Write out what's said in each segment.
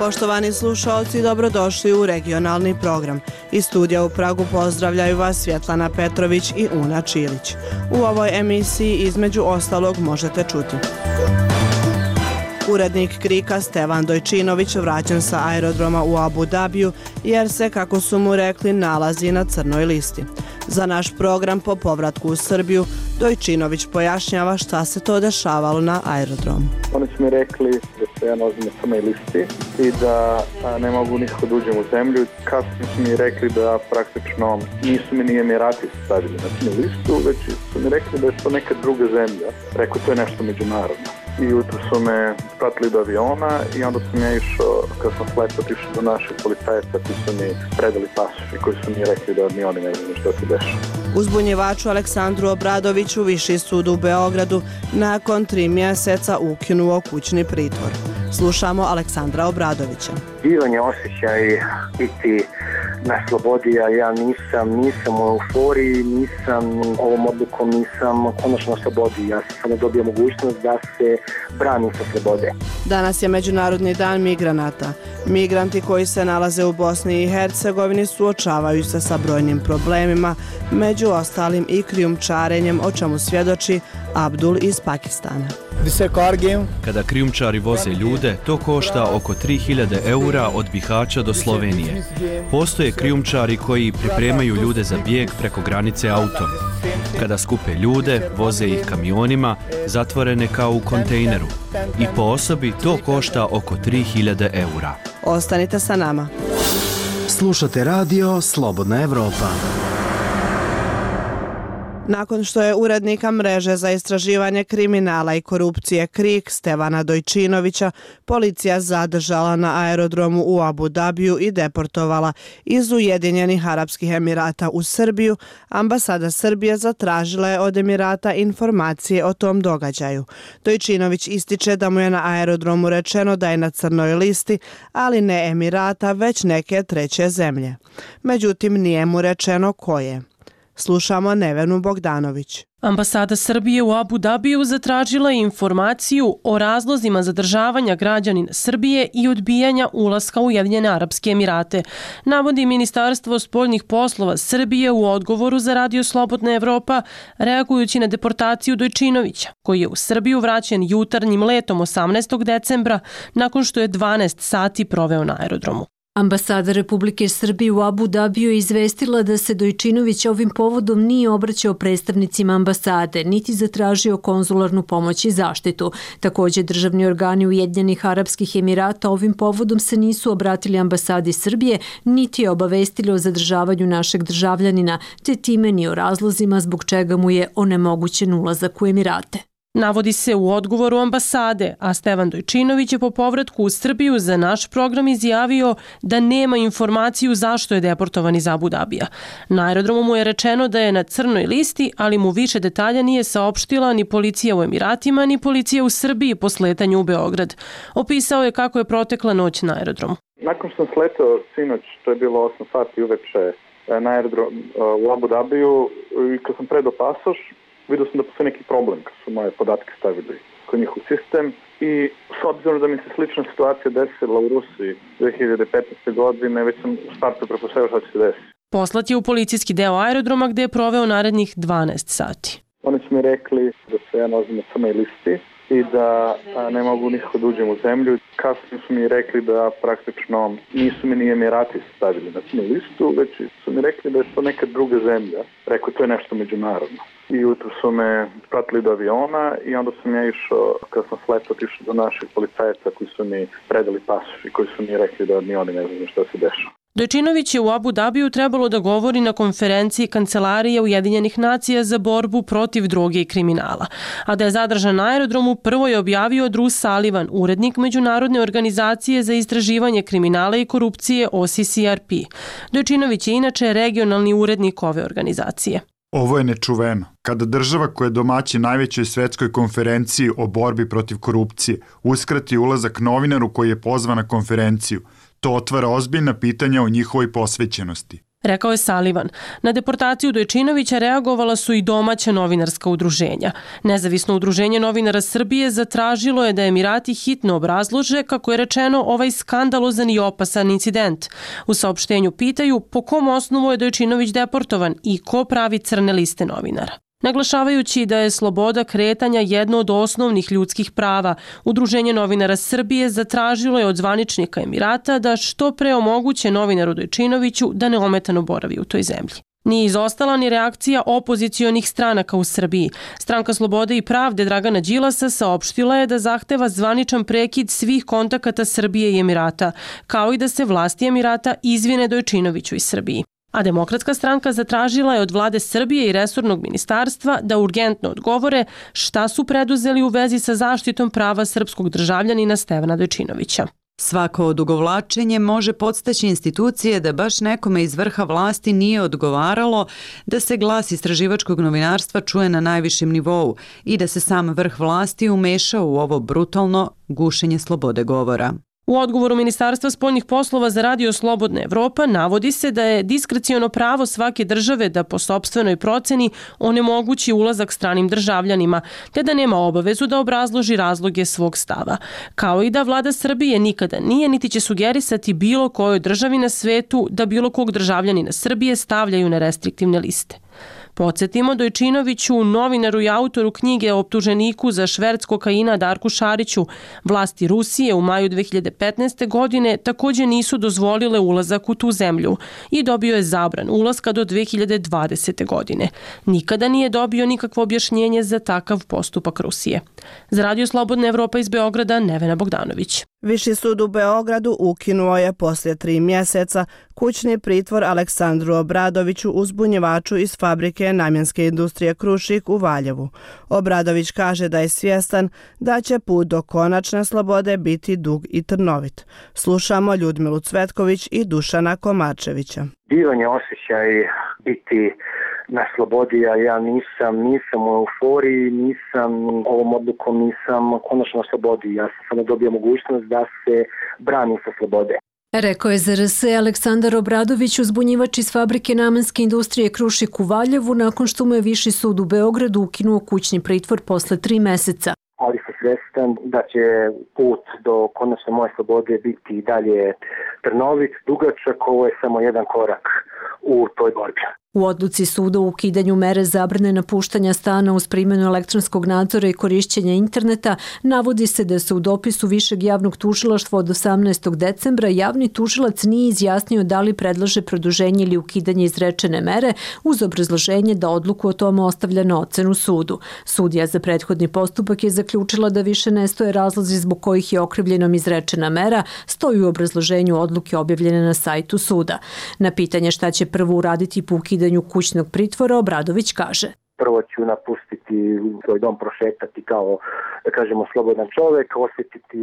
Poštovani slušaoci, dobrodošli u regionalni program. Iz studija u Pragu pozdravljaju vas Svjetlana Petrović i Una Čilić. U ovoj emisiji između ostalog možete čuti: urednik KRIK-a Stevan Dojčinović vraćen sa aerodroma u Abu Dabiju jer se, kako su mu rekli, nalazi na crnoj listi. Za naš program po povratku u Srbiju Dojčinović pojašnjava šta se to dešavalo na aerodromu. Oni su mi rekli da se ja nalazim na crnoj listi i da ne mogu nikako da uđem u zemlju. Kasnije su mi rekli da praktično nisu mi ni Emirati stavili na crnu listu, već su mi rekli da je to neka druga zemlja. Rekao, to je nešto međunarodno. I jutro su me pratili do aviona i onda sam ja išao, kad sam slepo otišao do naših policajaca koji su mi predali pasoš i koji su mi rekli da ni oni ne znaju što se dešava. Uzbunjivaču Aleksandru Obradoviću Viši sud u Beogradu nakon 3 mjeseca ukinuo kućni pritvor. Slušamo Aleksandra Obradovića. Divan je osjećaj biti na slobodi, a ja nisam u euforiji, ovom odlukom nisam konačno na slobodi. Ja sam samo dobio mogućnost da se branim sa slobode. Danas je Međunarodni dan migranata. Migranti koji se nalaze u Bosni i Hercegovini suočavaju se sa brojnim problemima, među ostalim i krijumčarenjem, o čemu svjedoči Abdul iz Pakistana. Kada krijumčari voze ljude, to košta oko 3000 eura od Bihaća do Slovenije. Postoje krijumčari koji pripremaju ljude za bijeg preko granice autom. Kada skupe ljude, voze ih kamionima, zatvorene kao u kontejneru. I po osobi to košta oko 3000 eura. Ostanite sa nama. Slušate radio Slobodna Evropa. Nakon što je urednika mreže za istraživanje kriminala i korupcije KRIK Stevana Dojčinovića policija zadržala na aerodromu u Abu Dabiju i deportovala iz Ujedinjenih Arapskih Emirata u Srbiju, ambasada Srbije zatražila je od Emirata informacije o tom događaju. Dojčinović ističe da mu je na aerodromu rečeno da je na crnoj listi, ali ne Emirata, već neke treće zemlje. Međutim, nije mu rečeno koje. Slušamo Nevenu Bogdanović. Ambasada Srbije u Abu Dabiju zatražila je informaciju o razlozima zadržavanja građanina Srbije i odbijanja ulaska u Ujedinjene Arapske Emirate, navodi Ministarstvo spoljnih poslova Srbije u odgovoru za radio Slobodna Evropa, reagujući na deportaciju Dojčinovića, koji je u Srbiju vraćen jutarnjim letom 18. decembra nakon što je 12 sati proveo na aerodromu. Ambasada Republike Srbije u Abu Dabiju je izvestila da se Dojčinović ovim povodom nije obraćao predstavnicima ambasade, niti zatražio konzularnu pomoć i zaštitu. Također, državni organi Ujedinjenih Arapskih Emirata ovim povodom se nisu obratili ambasadi Srbije, niti je obavestili o zadržavanju našeg državljanina, te time ni o razlozima zbog čega mu je onemogućen ulazak u Emirate. Navodi se u odgovoru ambasade, a Stevan Dojčinović je po povratku u Srbiju za naš program izjavio da nema informaciju zašto je deportovan iz Abu Dabija. Na aerodromu mu je rečeno da je na crnoj listi, ali mu više detalja nije saopštila ni policija u Emiratima, ni policija u Srbiji po sletanju u Beograd. Opisao je kako je protekla noć na aerodromu. Nakon što sam sletao sinoć, to je bilo 8 sati uveče na aerodrom u Abu Dabiju, i kad sam predao pasoš, vidio sam da postoji neki problem kad su moje podatke stavili kod njih u sistem i s obzirom da mi se slična situacija desila u Rusiji 2015. godine, već sam u startu pretpostavio šta će se desiti. Poslat je u policijski deo aerodroma gdje je proveo narednih 12 sati. Oni su mi rekli da se ja nalazim na crnoj listi i da ne mogu nikako da uđem u zemlju. Kasnije su mi rekli da praktično nisu mi ni Emirati stavili na crnu listu, već su mi rekli da je to neka druga zemlja. Rekao, to je nešto međunarodno. I jutro su me pratili do aviona i onda sam ja išao, kad sam slepo otišao do naših policajaca koji su mi predali pasoš i koji su mi rekli da ni oni ne znaju što se dešava. Dojčinović je u Abu Dabiju trebalo da govori na konferenciji Kancelarije Ujedinjenih nacija za borbu protiv droge i kriminala. A da je zadržan na aerodromu prvo je objavio Drew Sullivan, urednik Međunarodne organizacije za istraživanje kriminala i korupcije OCCRP. Dojčinović je inače regionalni urednik ove organizacije. Ovo je nečuveno. Kada država koja je domaćin najvećoj svetskoj konferenciji o borbi protiv korupcije uskrati ulazak novinaru koji je pozvan na konferenciju, to otvara ozbiljna pitanja o njihovoj posvećenosti. rekao je Sullivan. Na deportaciju Dojčinovića reagovala su i domaća novinarska udruženja. Nezavisno udruženje novinara Srbije zatražilo je da Emirati hitno obrazlože, kako je rečeno, ovaj skandalozan i opasan incident. U saopštenju pitaju po kom osnovu je Dojčinović deportovan i ko pravi crne liste novinara. Naglašavajući da je sloboda kretanja jedno od osnovnih ljudskih prava, Udruženje novinara Srbije zatražilo je od zvaničnika Emirata da što pre omoguće novinaru Dojčinoviću da neometano boravi u toj zemlji. Nije izostala ni reakcija opozicionih stranaka u Srbiji. Stranka Slobode i pravde Dragana Đilasa saopštila je da zahteva zvaničan prekid svih kontakata Srbije i Emirata, kao i da se vlasti Emirata izvine Dojčinoviću iz Srbiji. A Demokratska stranka zatražila je od vlade Srbije i resornog ministarstva da urgentno odgovore šta su preduzeli u vezi sa zaštitom prava srpskog državljanina Stevana Dojčinovića. Svako odugovlačenje može podstaći institucije da baš nekome iz vrha vlasti nije odgovaralo da se glas istraživačkog novinarstva čuje na najvišem nivou i da se sam vrh vlasti umešao u ovo brutalno gušenje slobode govora. U odgovoru Ministarstva spoljnih poslova za Radio Slobodna Evropa navodi se da je diskreciono pravo svake države da po sopstvenoj proceni onemogući ulazak stranim državljanima, te da nema obavezu da obrazloži razloge svog stava, kao i da vlada Srbije nikada nije niti će sugerisati bilo kojoj državi na svetu da bilo kog državljanina Srbije stavljaju na restriktivne liste. Podsjetimo, Dojčinoviću, novinaru i autoru knjige o optuženiku za šverc kokaina Darku Šariću, vlasti Rusije u maju 2015. godine također nisu dozvolile ulazak u tu zemlju i dobio je zabran ulaska do 2020. godine. Nikada nije dobio nikakvo objašnjenje za takav postupak Rusije. Za Radio Slobodna Evropa iz Beograda, Nevena Bogdanović. Viši sud u Beogradu ukinuo je poslije 3 mjeseca kućni pritvor Aleksandru Obradoviću, uzbunjivaču iz fabrike namjenske industrije Krušik u Valjevu. Obradović kaže da je svjestan da će put do konačne slobode biti dug i trnovit. Slušamo Ljudmilu Cvetković i Dušana Komarčevića. Divan je osjećaj biti na slobodi, a ja nisam u euforiji, ovom odlukom nisam konačno na slobodi. Ja sam samo dobio mogućnost da se branim sa slobode. Rekao je za RS Aleksandar Obradović, uzbunjivač iz fabrike namenske industrije Krušik u Valjevu, nakon što mu je Viši sud u Beogradu ukinuo kućni pritvor posle 3 meseca. Ali sam svjestan da će put do konačne moje slobode biti i dalje trnovit, dugačak, ovo je samo jedan korak u toj borbi. U odluci suda u ukidanju mere zabrane napuštanja stana uz primjenu elektronskog nadzora i korišćenja interneta navodi se da se u dopisu Višeg javnog tužilaštva od 18. decembra javni tužilac nije izjasnio da li predlaže produženje ili ukidanje izrečene mere uz obrazloženje da odluku o tome ostavlja na ocenu sudu. Sudija za prethodni postupak je zaključila da više ne stoje razlozi zbog kojih je okrivljenom izrečena mera, stoji u obrazloženju odluke objavljene na sajtu suda. Na pitanje šta će prvo uraditi po ukidanju kućnog pritvora, Obradović kaže: Prvo ću napustiti svoj dom, prošetati kao, da kažemo, slobodan čovjek, osjetiti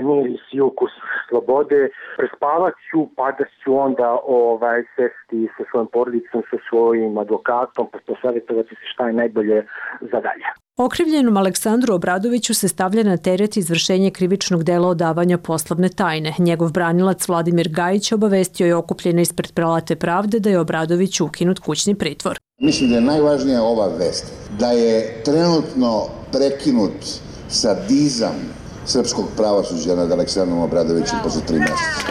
miris i ukus slobode, prespavat ću, pa da ću onda sesti sa svojom porodicom, sa svojim advokatom, pa posavjetovati se šta je najbolje za dalje. Okrivljenom Aleksandru Obradoviću se stavlja na teret izvršenje krivičnog dela odavanja poslovne tajne. Njegov branilac Vladimir Gajić obavestio je okupljene ispred Palate pravde da je Obradović ukinut kućni pritvor. Mislim da je najvažnija ova vest, da je trenutno prekinut sadizam srpskog pravosuđa nad Aleksandrom Obradovićem posle 3 meseca.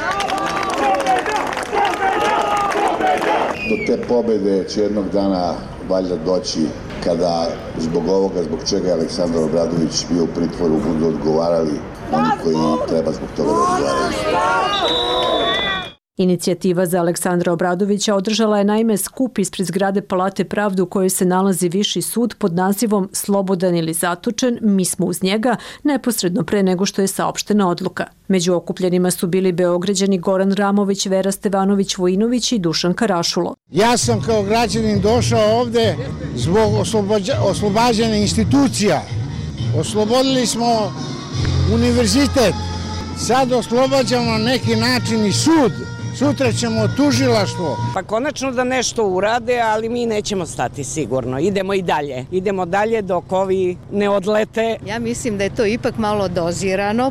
Do te pobede će jednog dana valjda doći kada zbog ovoga, zbog čega je Aleksandar Obradović bio u pritvoru, budu odgovarali oni koji treba zbog toga da odgovaraju. Inicijativa za Aleksandra Obradovića održala je naime skup ispred zgrade Palate pravde u kojoj se nalazi Viši sud pod nazivom Slobodan ili zatočen, mi smo uz njega, neposredno pre nego što je saopštena odluka. Među okupljenima su bili Beograđani Goran Ramović, Vera Stevanović Vojinović i Dušan Karašulo. Ja sam kao građanin došao ovde zbog oslobađanja institucija. Oslobodili smo univerzitet, sad oslobađamo na neki način i sud sutra ćemo tužilaštvo. Pa konačno da nešto urade, ali mi nećemo stati sigurno. Idemo i dalje. Idemo dalje dok ovi ne odlete. Ja mislim da je to ipak malo dozirano,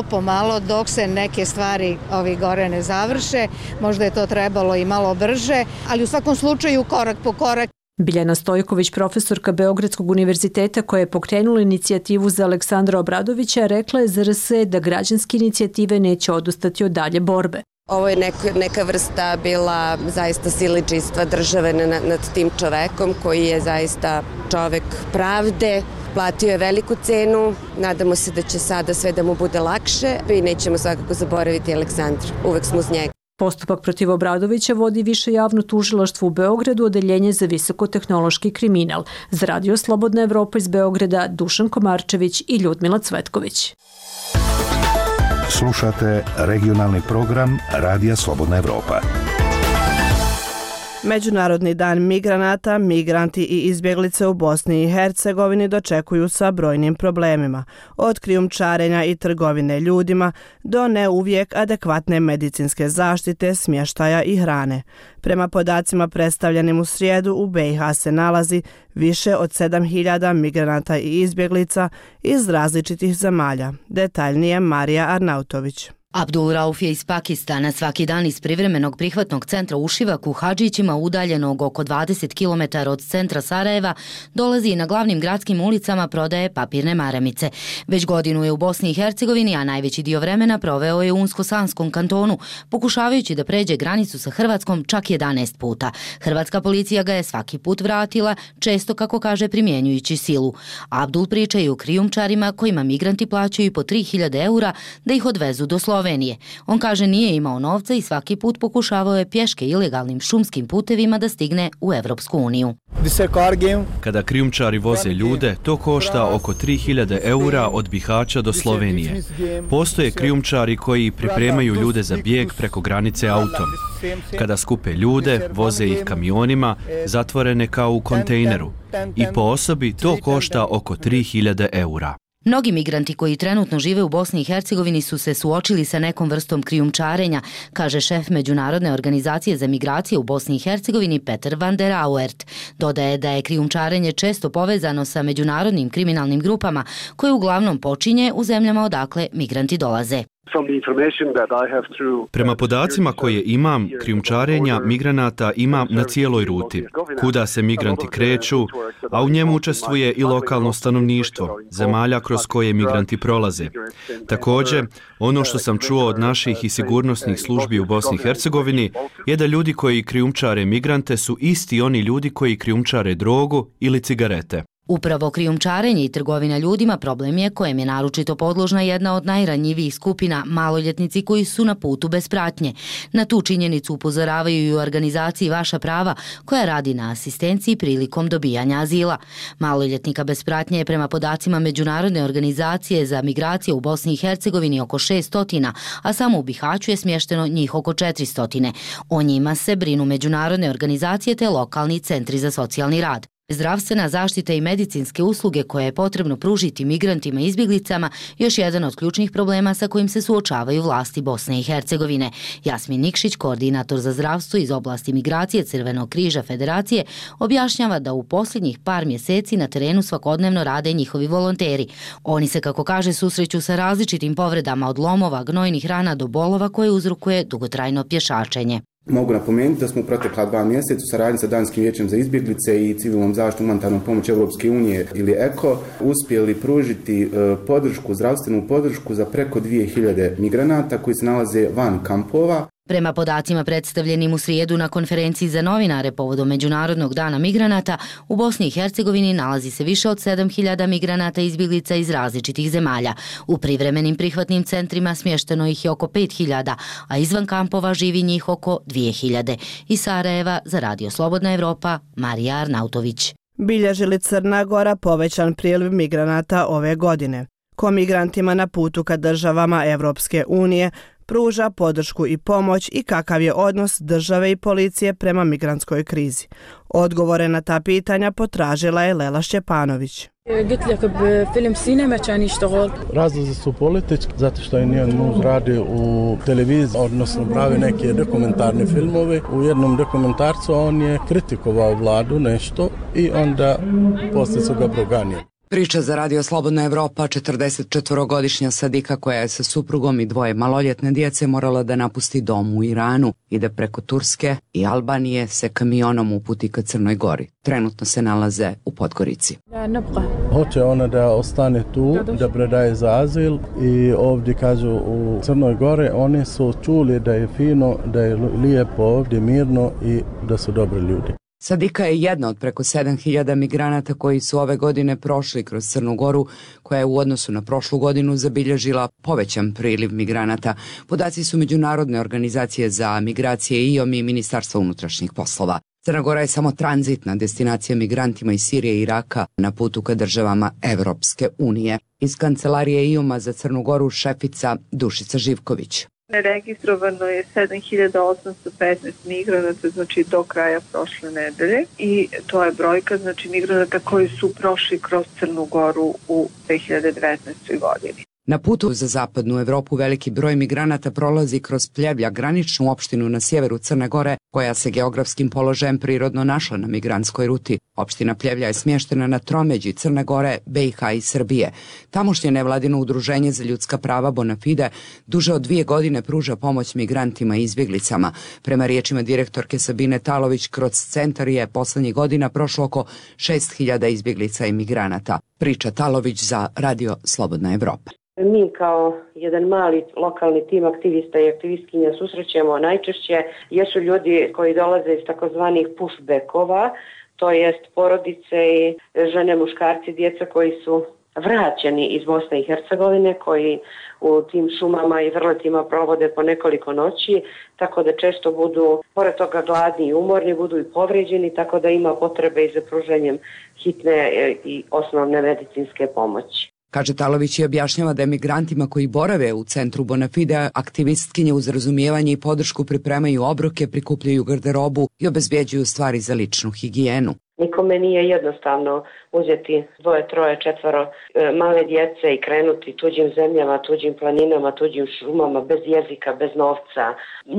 pomalo, dok se neke stvari ovi gore ne završe. Možda je to trebalo i malo brže, ali u svakom slučaju korak po korak. Biljana Stojković, profesorka Beogradskog univerziteta koja je pokrenula inicijativu za Aleksandra Obradovića, rekla je za RS da građanske inicijative neće odustati od dalje borbe. Ovo je neka vrsta bila zaista siledžijstva države nad tim čovekom koji je zaista čovek pravde. Platio je veliku cenu, nadamo se da će sada sve da mu bude lakše i nećemo svakako zaboraviti Aleksandra, uvek smo uz njega. Postupak protiv Obradovića vodi Više javno tužilaštvo u Beogradu, odeljenje za visokotehnološki kriminal. Za Radio Slobodna Evropa iz Beograda, Dušan Komarčević i Ljudmila Cvetković. Slušate regionalni program Radija Slobodna Evropa. Međunarodni dan migranata, migranti i izbjeglice u Bosni i Hercegovini dočekuju sa brojnim problemima, od krijumčarenja i trgovine ljudima do ne uvijek adekvatne medicinske zaštite, smještaja i hrane. Prema podacima predstavljenim u srijedu, u BiH se nalazi više od 7.000 migranata i izbjeglica iz različitih zemalja. Detaljnije Marija Arnautović. Abdul Rauf je iz Pakistana. Svaki dan iz privremenog prihvatnog centra u Šivaku, Hadžićima, udaljenog oko 20 km od centra Sarajeva, dolazi i na glavnim gradskim ulicama prodaje papirne maramice. Već godinu je u Bosni i Hercegovini, a najveći dio vremena proveo je u Unsko-Sanskom kantonu, pokušavajući da pređe granicu sa Hrvatskom čak 11 puta. Hrvatska policija ga je svaki put vratila, često, kako kaže, primjenjujući silu. Abdul priča i o krijumčarima kojima migranti plaćaju po 3.000 eura da ih odvezu do Slovenije. On kaže nije imao novca i svaki put pokušavao je pješke ilegalnim šumskim putevima da stigne u Evropsku uniju. Kada krijumčari voze ljude, to košta oko 3.000 eura od Bihaća do Slovenije. Postoje krijumčari koji pripremaju ljude za bijeg preko granice autom. Kada skupe ljude, voze ih kamionima, zatvorene kao u kontejneru. I po osobi to košta oko 3.000 eura. Mnogi migranti koji trenutno žive u Bosni i Hercegovini su se suočili sa nekom vrstom krijumčarenja, kaže šef Međunarodne organizacije za migracije u Bosni i Hercegovini Peter van der Auert. Dodaje da je krijumčarenje često povezano sa međunarodnim kriminalnim grupama koje uglavnom počinje u zemljama odakle migranti dolaze. Prema podacima koje imam, krijumčarenja migranata ima na cijeloj ruti, kuda se migranti kreću, a u njemu učestvuje i lokalno stanovništvo, zemalja kroz koje migranti prolaze. Također, ono što sam čuo od naših i sigurnosnih službi u Bosni i Hercegovini je da ljudi koji krijumčare migrante su isti oni ljudi koji krijumčare drogu ili cigarete. Upravo krijumčarenje i trgovina ljudima problem je kojem je naročito podložna jedna od najranjivijih skupina, maloljetnici koji su na putu bez pratnje. Na tu činjenicu upozoravaju i u organizaciji Vaša prava, koja radi na asistenciji prilikom dobijanja azila. Maloljetnika bez pratnje je prema podacima Međunarodne organizacije za migracije u Bosni i Hercegovini oko 600, a samo u Bihaću je smješteno njih oko 400. O njima se brinu međunarodne organizacije te lokalni centri za socijalni rad. Zdravstvena zaštita i medicinske usluge koje je potrebno pružiti migrantima i izbjeglicama još jedan od ključnih problema sa kojim se suočavaju vlasti Bosne i Hercegovine. Jasmin Nikšić, koordinator za zdravstvo iz oblasti migracije Crvenog križa Federacije, objašnjava da u posljednjih par mjeseci na terenu svakodnevno rade njihovi volonteri. Oni se, kako kaže, susreću sa različitim povredama od lomova, gnojnih rana do bolova koje uzrokuje dugotrajno pješačenje. Mogu napomenuti da smo u protekla 2 mjeseca u saradnji sa Danskim vijećem za izbjeglice i civilnom zaštitom humanitarnom pomoći Europske unije ili ECO uspjeli pružiti zdravstvenu podršku za preko 2.000 migranata koji se nalaze van kampova. Prema podacima predstavljenim u srijedu na konferenciji za novinare povodom Međunarodnog dana migranata, u Bosni i Hercegovini nalazi se više od 7.000 migranata i izbjeglica iz različitih zemalja. U privremenim prihvatnim centrima smješteno ih je oko 5.000, a izvan kampova živi njih oko 2.000. Iz Sarajeva za Radio Slobodna Evropa, Marija Arnautović. Bilježi li Crna Gora povećan priliv migranata ove godine? Ko migrantima na putu ka državama Evropske unije pruža podršku i pomoć i kakav je odnos države i policije prema migrantskoj krizi. Odgovore na ta pitanja potražila je Lela Šćepanović. Razlozi su politički, zato što je njen muž radi u televiziji, odnosno pravi neke dokumentarne filmove. U jednom dokumentarcu on je kritikovao vladu nešto i onda poslije su ga proganjali. Priča za Radio Slobodna Evropa, 44-godišnja Sadika koja je sa suprugom i 2 maloljetne djece morala da napusti dom u Iranu i da preko Turske i Albanije se kamionom uputi ka Crnoj Gori. Trenutno se nalaze u Podgorici. Hoće ona da ostane tu, da predaje za azil i ovdje kažu u Crnoj Gori oni su čuli da je fino, da je lijepo ovdje, mirno i da su dobri ljudi. Sadika je jedna od preko 7000 migranata koji su ove godine prošli kroz Crnu Goru, koja je u odnosu na prošlu godinu zabilježila povećan priliv migranata. Podaci su Međunarodne organizacije za migracije IOM i Ministarstva unutrašnjih poslova. Crna Gora je samo tranzitna destinacija migrantima iz Sirije i Iraka na putu ka državama Evropske unije. Iz kancelarije IOM-a za Crnu Goru šefica Dušica Živković. Registrovano je 7815 migranata, znači do kraja prošle nedelje, i to je brojka, znači migranata koji su prošli kroz Crnu Goru u 2019. godini. Na putu za zapadnu Evropu veliki broj migranata prolazi kroz Pljevlja, graničnu opštinu na sjeveru Crne Gore, koja se geografskim položajem prirodno našla na migrantskoj ruti. Opština Pljevlja je smještena na tromeđi Crne Gore, BiH i Srbije. Tamošnje nevladino udruženje za ljudska prava Bonafide duže od 2 godine pruža pomoć migrantima i izbjeglicama. Prema riječima direktorke Sabine Talović, kroz centar je poslednjih godina prošlo oko 6000 izbjeglica i migranata. Priča Talović za Radio Slobodna Evropa. Mi kao jedan mali lokalni tim aktivista i aktivistkinja susrećemo najčešće jesu ljudi koji dolaze iz takozvanih pushbackova, to jest porodice i žene, muškarci, djeca koji su vraćeni iz Bosne i Hercegovine, koji u tim šumama i vrletima provode po nekoliko noći, tako da često budu, pored toga, gladni i umorni, budu i povređeni, tako da ima potrebe i za pruženjem hitne i osnovne medicinske pomoći. Kaže Talović i objašnjava da emigrantima koji borave u centru Bonafide aktivistkinje uz razumijevanje i podršku pripremaju obroke, prikupljaju garderobu i obezbjeđuju stvari za ličnu higijenu. Nikome nije jednostavno uzeti 2, 3, 4 male djece i krenuti tuđim zemljama, tuđim planinama, tuđim šumama, bez jezika, bez novca.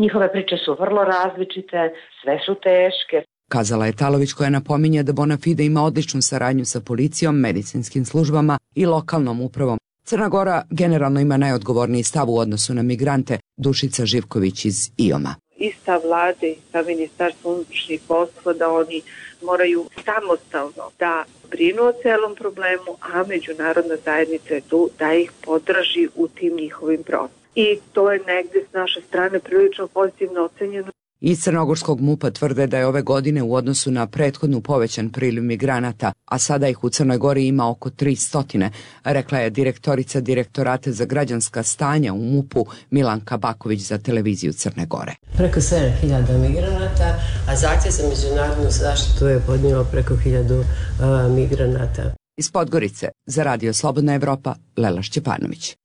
Njihove priče su vrlo različite, sve su teške. Kazala je Talović, koja napominje da Bonafide ima odličnu saradnju sa policijom, medicinskim službama i lokalnom upravom. Crna Gora generalno ima najodgovorniji stav u odnosu na migrante. Dušica Živković iz IOM-a. I stav vlade i stav Ministarstva unutrašnjih poslova da oni moraju samostalno da brinu o celom problemu, a međunarodna zajednica je tu da ih podrži u tim njihovim procesima. I to je negdje s naše strane prilično pozitivno ocenjeno. Iz Crnogorskog MUP-a tvrde da je ove godine u odnosu na prethodnu povećan priliv migranata, a sada ih u Crnoj Gori ima oko 300, rekla je direktorica Direktorata za građanska stanja u MUP-u Milanka Baković za televiziju Crne Gore. Preko 7000 migranata, a zahtjev za međunarodnu zaštitu je podnijelo preko 1000 migranata. Iz Podgorice za Radio Slobodna Evropa, Lela Šćepanović.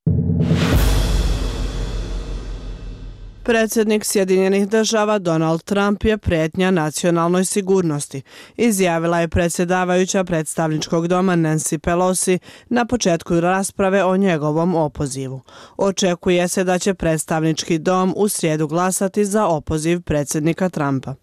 Predsjednik Sjedinjenih država Donald Trump je prijetnja nacionalnoj sigurnosti, izjavila je predsjedavajuća predstavničkog doma Nancy Pelosi na početku rasprave o njegovom opozivu. Očekuje se da će predstavnički dom u srijedu glasati za opoziv predsjednika Trumpa.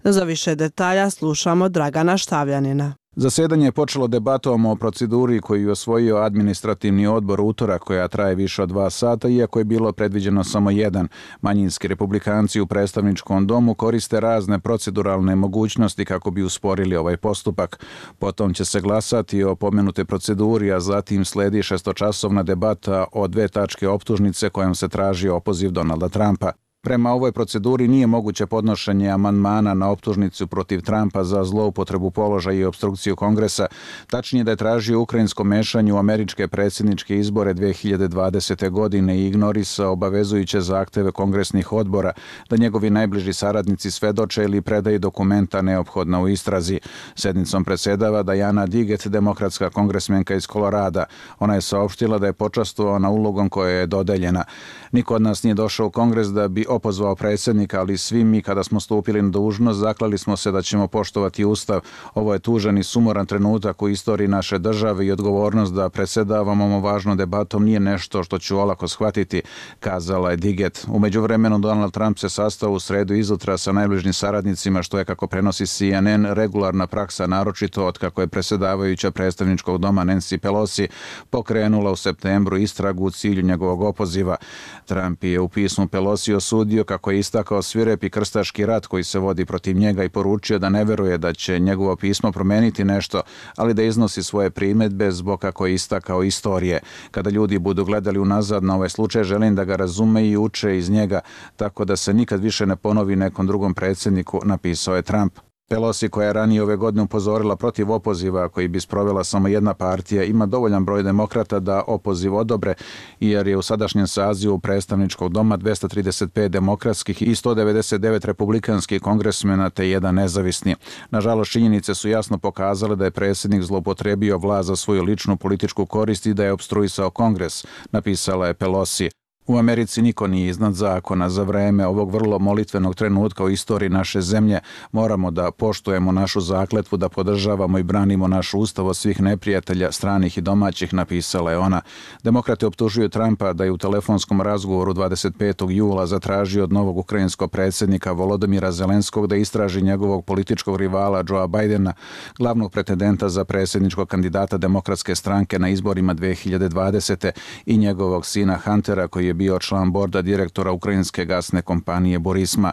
Za više detalja slušamo Dragana Štavljanina. Zasjedanje je počelo debatom o proceduri koju je osvojio administrativni odbor utorak, koja traje više od 2 sata, iako je bilo predviđeno samo jedan. Manjinski republikanci u predstavničkom domu koriste razne proceduralne mogućnosti kako bi usporili ovaj postupak. Potom će se glasati o pomenute proceduri, a zatim sledi 6-časovna debata o 2 tačke optužnice kojom se traži opoziv Donalda Trumpa. Prema ovoj proceduri nije moguće podnošenje amandmana na optužnicu protiv Trumpa za zloupotrebu položaja i opstrukciju Kongresa, tačnije da je tražio ukrajinsko mešanje u američke predsjedničke izbore 2020. godine i ignorisao obavezujuće zahteve kongresnih odbora da njegovi najbliži saradnici svedoče ili predaju dokumenta neophodna u istrazi. Sednicom predsjedava Diana Diggett, demokratska kongresmenka iz Kolorada. Ona je saopštila da je počastvovana ulogom koja je dodeljena. Niko od nas nije došao u Kongres da bi opozvao predsjednika, ali svi mi kada smo stupili na dužnost zaklali smo se da ćemo poštovati Ustav. Ovo je tužan i sumoran trenutak u istoriji naše države i odgovornost da predsjedavamo ovom važnom debatom nije nešto što ću olako shvatiti, kazala je Diggett. U međuvremenu Donald Trump se sastao u sredu izutra sa najbližim saradnicima, što je, kako prenosi CNN, regularna praksa, naročito od kako je predsjedavajuća predstavničkog doma Nancy Pelosi pokrenula u septembru istragu u cilju njegovog opoziva. Trump je u pismu Pelosi osudio kako je istakao svirepi krstaški rat koji se vodi protiv njega i poručio da ne veruje da će njegovo pismo promeniti nešto, ali da iznosi svoje primjedbe zbog, kako je istakao, istorije. Kada ljudi budu gledali unazad na ovaj slučaj, želim da ga razume i uče iz njega, tako da se nikad više ne ponovi nekom drugom predsjedniku, napisao je Trump. Pelosi, koja je ranije ove godine upozorila protiv opoziva koji bi sprovela samo jedna partija, ima dovoljan broj demokrata da opoziv odobre, jer je u sadašnjem sazivu predstavničkog doma 235 demokratskih i 199 republikanskih kongresmena te jedan nezavisni. Nažalost, činjenice su jasno pokazale da je predsjednik zloupotrebio vlast za svoju ličnu političku korist i da je opstruisao Kongres, napisala je Pelosi. U Americi niko nije iznad zakona. Za vreme ovog vrlo molitvenog trenutka u istoriji naše zemlje moramo da poštujemo našu zakletvu, da podržavamo i branimo naš ustav od svih neprijatelja, stranih i domaćih, napisala je ona. Demokrate optužuju Trumpa da je u telefonskom razgovoru 25. jula zatražio od novog ukrajinskog predsjednika Volodymyra Zelenskog da istraži njegovog političkog rivala Joea Bidena, glavnog pretendenta za predsjedničkog kandidata Demokratske stranke na izborima 2020. i njegovog sina Huntera, koji je bio član borda direktora ukrajinske gasne kompanije Burisma.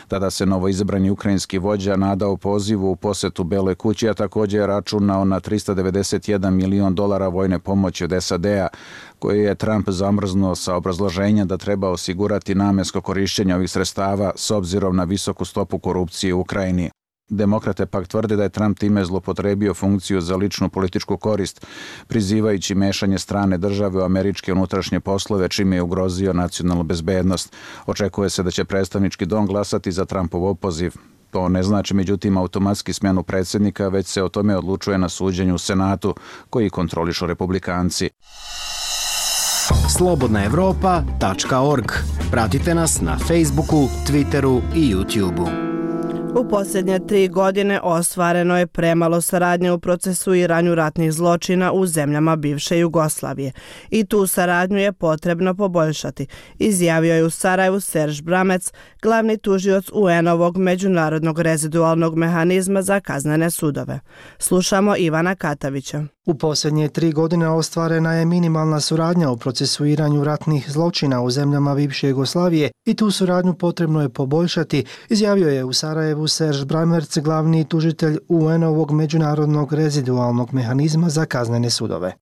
Tada se novoizabrani ukrajinski vođa nadao pozivu u posetu Beloj kući, a također je računao na $391 milion vojne pomoći od SAD-a, koje je Trump zamrznuo sa obrazloženjem da treba osigurati namensko korištenje ovih sredstava s obzirom na visoku stopu korupcije u Ukrajini. Demokrate pak tvrde da je Trump time zlopotrebio funkciju za ličnu političku korist, prizivajući mešanje strane države u američke unutrašnje poslove, čime je ugrozio nacionalnu bezbednost. Očekuje se da će predstavnički dom glasati za Trumpov opoziv. To ne znači, međutim, automatski smjenu predsjednika, već se o tome odlučuje na suđenju u Senatu, koji kontrolišu republikanci. slobodnaevropa.org. Pratite nas na Facebooku, Twitteru i YouTubeu. U posljednje 3 godine ostvareno je premalo saradnje u procesuiranju ratnih zločina u zemljama bivše Jugoslavije i tu saradnju je potrebno poboljšati, izjavio je u Sarajevu Serž Bramec, glavni tužioc UN-ovog međunarodnog rezidualnog mehanizma za kaznene sudove. Slušamo Ivana Katavića. U posljednje 3 godine ostvarena je minimalna suradnja u procesuiranju ratnih zločina u zemljama bivše Jugoslavije i tu suradnju potrebno je poboljšati, izjavio je u Sarajevu Serž Bramec, glavni tužitelj UN-ovog međunarodnog rezidualnog mehanizma za kaznene sudove.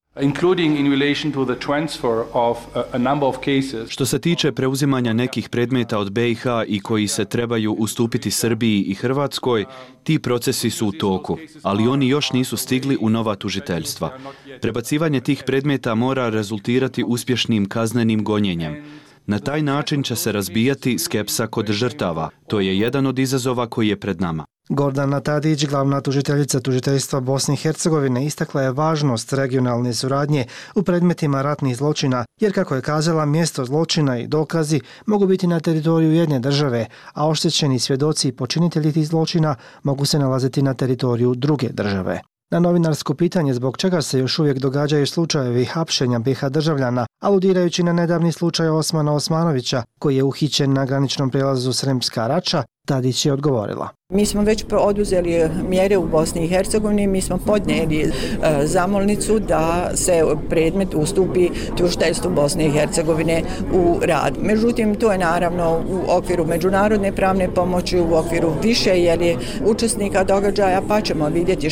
Što se tiče preuzimanja nekih predmeta od BiH i koji se trebaju ustupiti Srbiji i Hrvatskoj, ti procesi su u toku, ali oni još nisu stigli u nova tužiteljstva. Prebacivanje tih predmeta mora rezultirati uspješnim kaznenim gonjenjem. Na taj način će se razbijati skepsa kod žrtava. To je jedan od izazova koji je pred nama. Gordana Tadić, glavna tužiteljica tužiteljstva Bosne i Hercegovine, istakla je važnost regionalne suradnje u predmetima ratnih zločina, jer, kako je kazala, mjesto zločina i dokazi mogu biti na teritoriju jedne države, a oštećeni svjedoci i počinitelji tih zločina mogu se nalaziti na teritoriju druge države. Na novinarsko pitanje zbog čega se još uvijek događaju slučajevi hapšenja BiH državljana, aludirajući na nedavni slučaj Osmana Osmanovića, koji je uhićen na graničnom prijelazu Sremska Rača, Tadić je odgovorila. Mi smo već oduzeli mjere u Bosni i Hercegovini, mi smo podnijeli zamolnicu da se predmet ustupi tužiteljstvu Bosne i Hercegovine u rad. Međutim, to je naravno u okviru međunarodne pravne pomoći, u okviru više učesnika događaja, pa ćemo vidjeti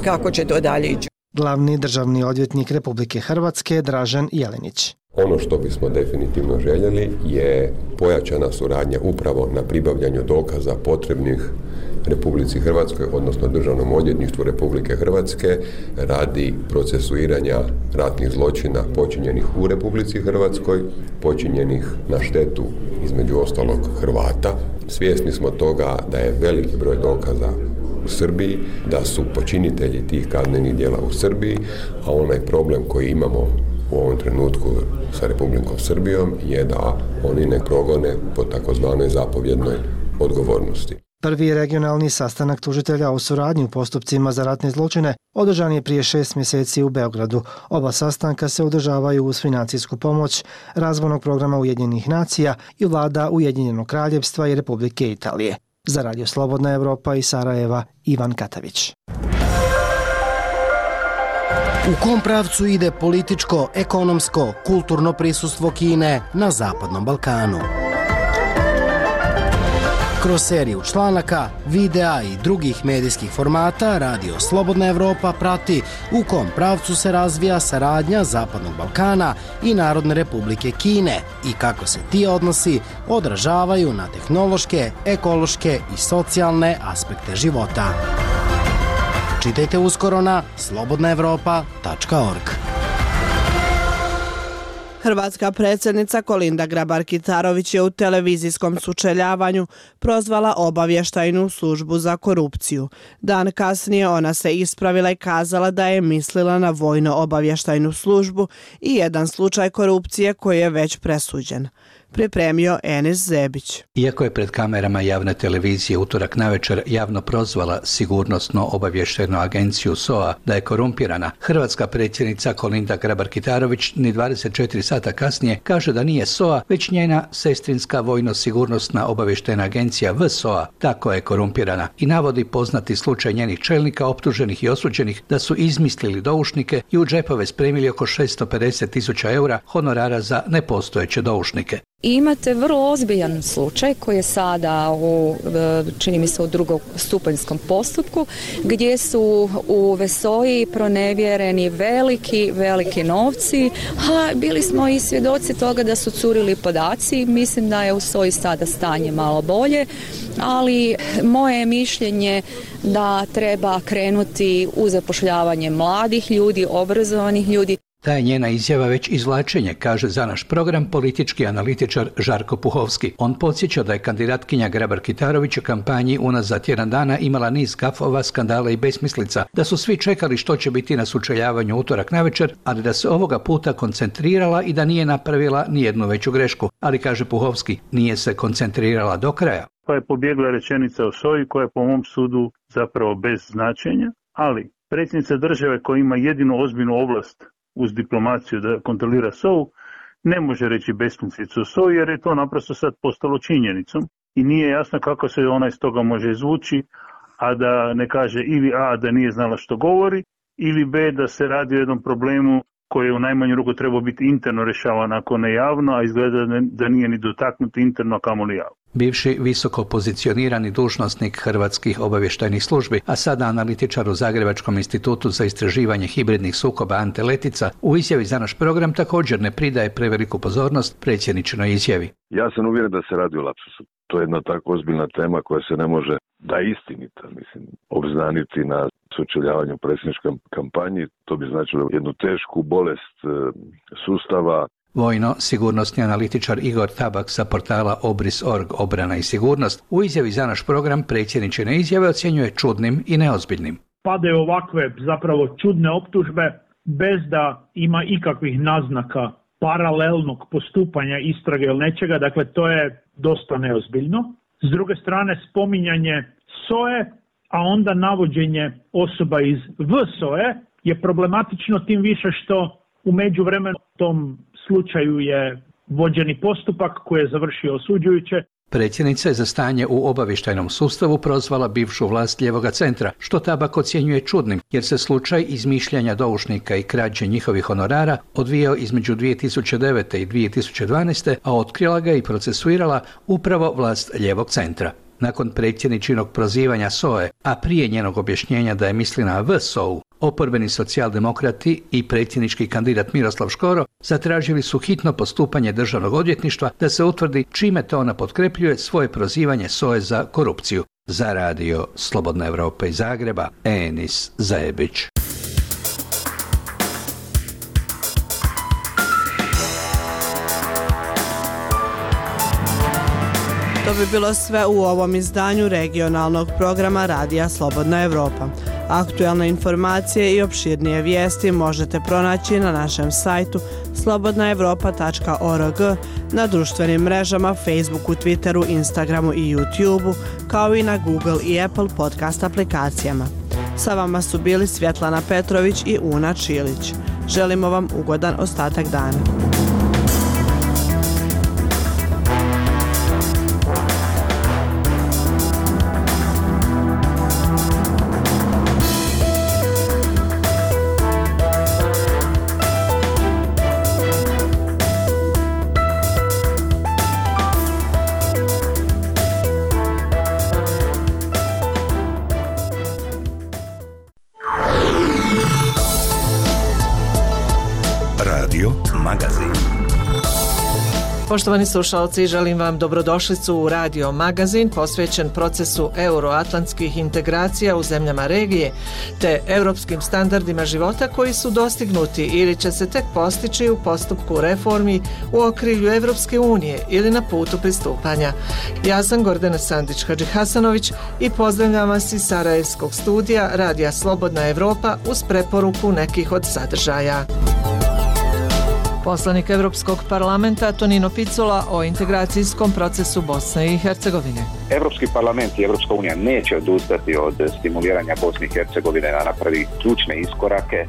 kako će to dalje ići. Glavni državni odvjetnik Republike Hrvatske Dražen Jelenić. Ono što bismo definitivno željeli je pojačana suradnja upravo na pribavljanju dokaza potrebnih Republici Hrvatskoj, odnosno Državnom odvjetništvu Republike Hrvatske radi procesuiranja ratnih zločina počinjenih u Republici Hrvatskoj, počinjenih na štetu između ostalog Hrvata. Svjesni smo toga da je veliki broj dokaza u Srbiji, da su počinitelji tih kaznenih djela u Srbiji, a onaj problem koji imamo u ovom trenutku sa Republikom Srbijom je da oni ne progone po takozvanoj zapovjednoj odgovornosti. Prvi regionalni sastanak tužitelja o suradnji u postupcima za ratne zločine održan je prije 6 mjeseci u Beogradu. Oba sastanka se održavaju uz financijsku pomoć razvojnog programa Ujedinjenih nacija i vlada Ujedinjenog kraljevstva i Republike Italije. Za Radio Slobodna Evropa iz Sarajeva, Ivan Katavić. U kom pravcu ide političko, ekonomsko, kulturno prisustvo Kine na Zapadnom Balkanu? Kroz seriju članaka, videa i drugih medijskih formata Radio Slobodna Evropa prati u kom pravcu se razvija saradnja Zapadnog Balkana i Narodne Republike Kine i kako se ti odnosi odražavaju na tehnološke, ekološke i socijalne aspekte života. Čitajte uskoro na slobodnaevropa.org. Hrvatska predsjednica Kolinda Grabar-Kitarović je u televizijskom sučeljavanju prozvala obavještajnu službu za korupciju. Dan kasnije ona se ispravila i kazala da je mislila na vojno-obavještajnu službu i jedan slučaj korupcije koji je već presuđen. Pripremio Enis Zebić. Iako je pred kamerama javne televizije utorak navečer javno prozvala sigurnosno-obavještajnu agenciju SOA da je korumpirana, hrvatska predsjednica Kolinda Grabar-Kitarović ni 24 sata kasnije kaže da nije SOA, već njena sestrinska vojno-sigurnosna obavještajna agencija VSOA tako je korumpirana i navodi poznati slučaj njenih čelnika optuženih i osuđenih da su izmislili doušnike i u džepove spremili oko 650.000 eura honorara za nepostojeće doušnike. I imate vrlo ozbiljan slučaj koji je sada čini mi se u drugostupanjskom postupku gdje su u VSOA-i pronevjereni veliki novci, a bili smo i svjedoci toga da su curili podaci. Mislim da je u SOA-i sada stanje malo bolje, ali moje je mišljenje da treba krenuti u zapošljavanje mladih ljudi, obrazovanih ljudi. Ta je njena izjava već izvlačenje, kaže za naš program politički analitičar Žarko Puhovski. On podsjeća da je kandidatkinja Grabar-Kitarović u kampanji unazad tjedan dana imala niz gafova, skandala i besmislica, da su svi čekali što će biti na sučeljavanju utorak navečer, ali da se ovoga puta koncentrirala i da nije napravila nijednu veću grešku. Ali, kaže Puhovski, nije se koncentrirala do kraja. Pa je pobjegla rečenica o SOA-i koja je po mom sudu zapravo bez značenja, ali predsjednica države koja ima jedinu ozbiljnu ovlast uz diplomaciju da kontrolira SOA-u, ne može reći besmislicu o SOA-i jer je to naprosto sad postalo činjenicom i nije jasno kako se ona iz toga može izvući, a da ne kaže ili A da nije znala što govori, ili B da se radi o jednom problemu koji je u najmanju ruku trebao biti interno rješavan ako ne javno, a izgleda da nije ni dotaknut interno, a kamoli javno. Bivši visoko pozicionirani dužnosnik hrvatskih obavještajnih službi, a sada analitičar u Zagrebačkom institutu za istraživanje hibridnih sukoba Ante Letica, u izjavi za naš program također ne pridaje preveliku pozornost predsjedničinoj izjavi. Ja sam uvjeren da se radi o lapsusu. To je jedna tako ozbiljna tema koja se ne može, da je istinita, obznaniti na sučeljavanju predsjedničkoj kampanji. To bi značilo jednu tešku bolest sustava. Vojno-sigurnosni analitičar Igor Tabak sa portala Obris.org Obrana i sigurnost u izjavi za naš program predsjedničine izjave ocjenjuje čudnim i neozbiljnim. Padaju ovakve zapravo čudne optužbe bez da ima ikakvih naznaka paralelnog postupanja istrage ili nečega, dakle to je dosta neozbiljno. S druge strane spominjanje SOA-e, a onda navođenje osoba iz VSOA-e je problematično tim više što u međuvremenu tom slučaju je vođeni postupak koji je završio osuđujuće. Predsjednica je za stanje u obavještajnom sustavu prozvala bivšu vlast Lijevoga centra, što Tabak ocjenjuje čudnim, jer se slučaj izmišljanja doušnika i krađe njihovih honorara odvijao između 2009. i 2012. a otkrila ga i procesuirala upravo vlast Lijevog centra. Nakon predsjedničinog prozivanja SOA-e, a prije njenog objašnjenja da je misli na VSOA-u, Oporbeni socijaldemokrati i predsjednički kandidat Miroslav Škoro zatražili su hitno postupanje državnog odvjetništva da se utvrdi čime to ona potkrepljuje svoje prozivanje SOA-e za korupciju. Za radio Slobodna Evropa iz Zagreba, Enis Zajebić. To bi bilo sve u ovom izdanju regionalnog programa Radija Slobodna Evropa. Aktualne informacije i opširnije vijesti možete pronaći na našem sajtu slobodnaevropa.org, na društvenim mrežama Facebooku, Twitteru, Instagramu i YouTubeu, kao i na Google i Apple podcast aplikacijama. Sa vama su bili Svjetlana Petrović i Una Čilić. Želimo vam ugodan ostatak dana. Poštovani slušalci, želim vam dobrodošlicu u Radio Magazin posvećen procesu euroatlantskih integracija u zemljama regije te europskim standardima života koji su dostignuti ili će se tek postići u postupku reformi u okrilju Evropske unije ili na putu pristupanja. Ja sam Gordana Sandić-Hadžihasanović i pozdravljam vas iz Sarajevskog studija Radija Slobodna Evropa uz preporuku nekih od sadržaja. Poslanik Evropskog parlamenta Tonino Picula o integracijskom procesu Bosne i Hercegovine. Evropski parlament i Evropska unija neće odustati od stimuliranja Bosne i Hercegovine da napravi ključne iskorake.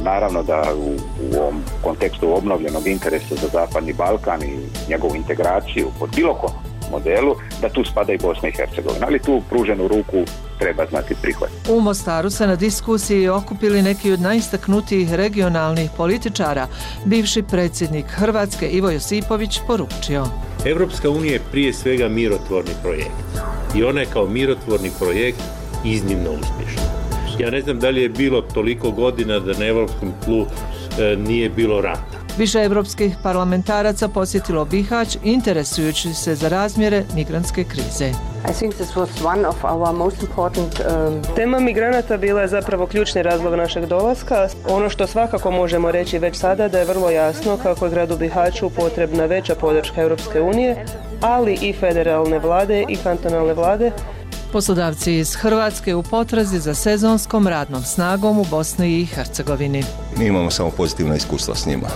Naravno da u ovom kontekstu obnovljenog interesa za Zapadni Balkan i njegovu integraciju pod bilo kom modelu, da tu spada i Bosna i Hercegovina, ali tu pruženu ruku treba znati prihvatiti. U Mostaru se na diskusiji okupili neki od najistaknutijih regionalnih političara. Bivši predsjednik Hrvatske Ivo Josipović poručio: Evropska unija je prije svega mirotvorni projekt i ona je kao mirotvorni projekt iznimno uspješna. Ja ne znam da li je bilo toliko godina da na evropskom tlu nije bilo rata. Više evropskih parlamentaraca posjetilo Bihać interesujući se za razmjere migrantske krize. Tema migranata bila je zapravo ključni razlog našeg dolaska. Ono što svakako možemo reći već sada da je vrlo jasno kako je gradu Bihaću potrebna veća podrška Europske unije, ali i federalne vlade i kantonalne vlade. Poslodavci iz Hrvatske u potrazi za sezonskom radnom snagom u Bosni i Hercegovini. Mi imamo samo pozitivna iskustva s njima.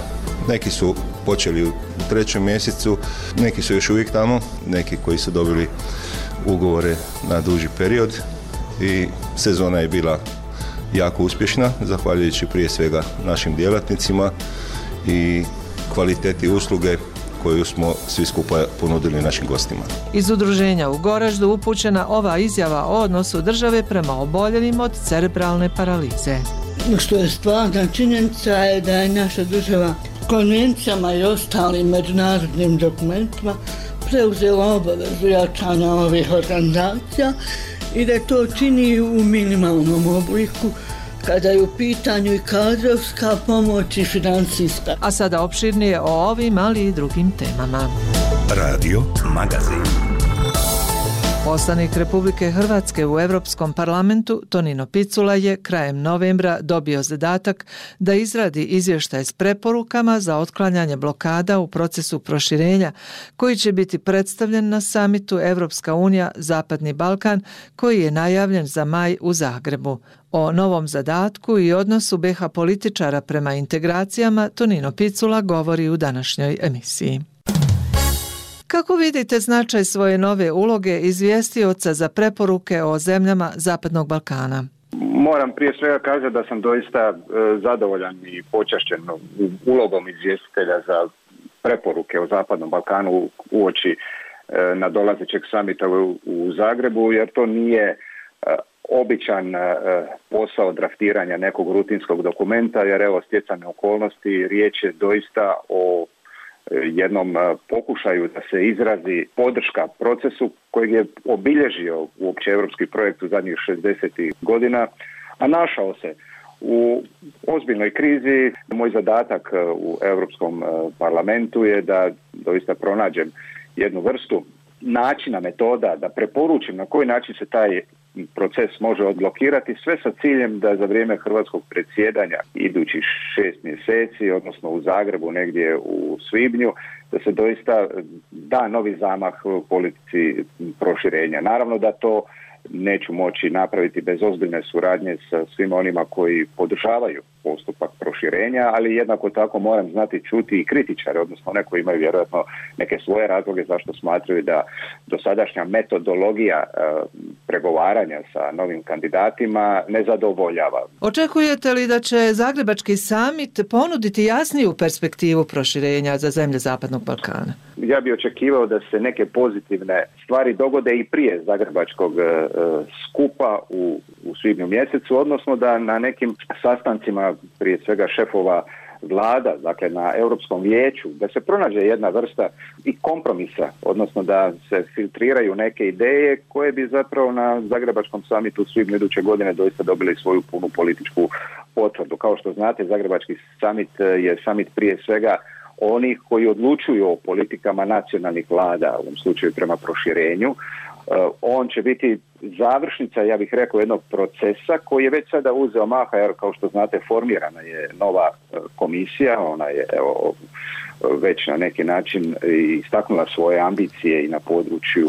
Neki su počeli u 3. mjesecu, neki su još uvijek tamo, neki koji su dobili ugovore na duži period i sezona je bila jako uspješna, zahvaljujući prije svega našim djelatnicima i kvaliteti usluge koju smo svi skupa ponudili našim gostima. Iz udruženja u Goraždu upućena ova izjava o odnosu države prema oboljelim od cerebralne paralize. Što je stvarna činjenica je da je naša država konvencijama i ostalim međunarodnim dokumentima preuzela obavezu jačanja ovih organizacija i da to čini u minimalnom obliku kada je u pitanju i kadrovska pomoć i financijska. A sada opširnije o ovim, ali i drugim temama. Radio Magazin. Poslanik Republike Hrvatske u Europskom parlamentu Tonino Picula je krajem novembra dobio zadatak da izradi izvještaj s preporukama za otklanjanje blokada u procesu proširenja koji će biti predstavljen na samitu Evropska unija Zapadni Balkan koji je najavljen za maj u Zagrebu. O novom zadatku i odnosu BiH političara prema integracijama Tonino Picula govori u današnjoj emisiji. Kako vidite značaj svoje nove uloge izvjestioca za preporuke o zemljama Zapadnog Balkana? Moram prije svega kazati da sam doista zadovoljan i počašćen ulogom izvjestitelja za preporuke o Zapadnom Balkanu uoči nadolazećeg samita u Zagrebu, jer to nije običan posao draftiranja nekog rutinskog dokumenta, jer evo stjecane okolnosti, riječ je doista o jednom pokušaju da se izrazi podrška procesu kojeg je obilježio uopće europski projekt u zadnjih 60 godina, a našao se u ozbiljnoj krizi. Moj zadatak u Europskom parlamentu je da doista pronađem jednu vrstu načina, metoda, da preporučim na koji način se taj proces može odblokirati, sve sa ciljem da za vrijeme hrvatskog predsjedanja idućih 6 mjeseci, odnosno u Zagrebu negdje u svibnju, da se doista da novi zamah u politici proširenja. Naravno da to neću moći napraviti bez ozbiljne suradnje sa svima onima koji podržavaju postupak proširenja, ali jednako tako moram znati čuti i kritičare, odnosno one koji imaju vjerojatno neke svoje razloge zašto smatraju da dosadašnja metodologija pregovaranja sa novim kandidatima ne zadovoljava. Očekujete li da će Zagrebački samit ponuditi jasniju perspektivu proširenja za zemlje Zapadnog Balkana? Ja bih očekivao da se neke pozitivne stvari dogode i prije Zagrebačkog skupa u svibnju mjesecu, odnosno da na nekim sastancima, prije svega šefova vlada, dakle na Europskom vijeću, da se pronađe jedna vrsta i kompromisa, odnosno da se filtriraju neke ideje koje bi zapravo na Zagrebačkom samitu u svibnju iduće godine doista dobili svoju punu političku potvrdu. Kao što znate, Zagrebački samit je samit prije svega onih koji odlučuju o politikama nacionalnih vlada, u ovom slučaju prema proširenju. On će biti završnica, ja bih rekao, jednog procesa koji je već sada uzeo maha, jer kao što znate formirana je nova komisija, ona je već na neki način istaknula svoje ambicije i na području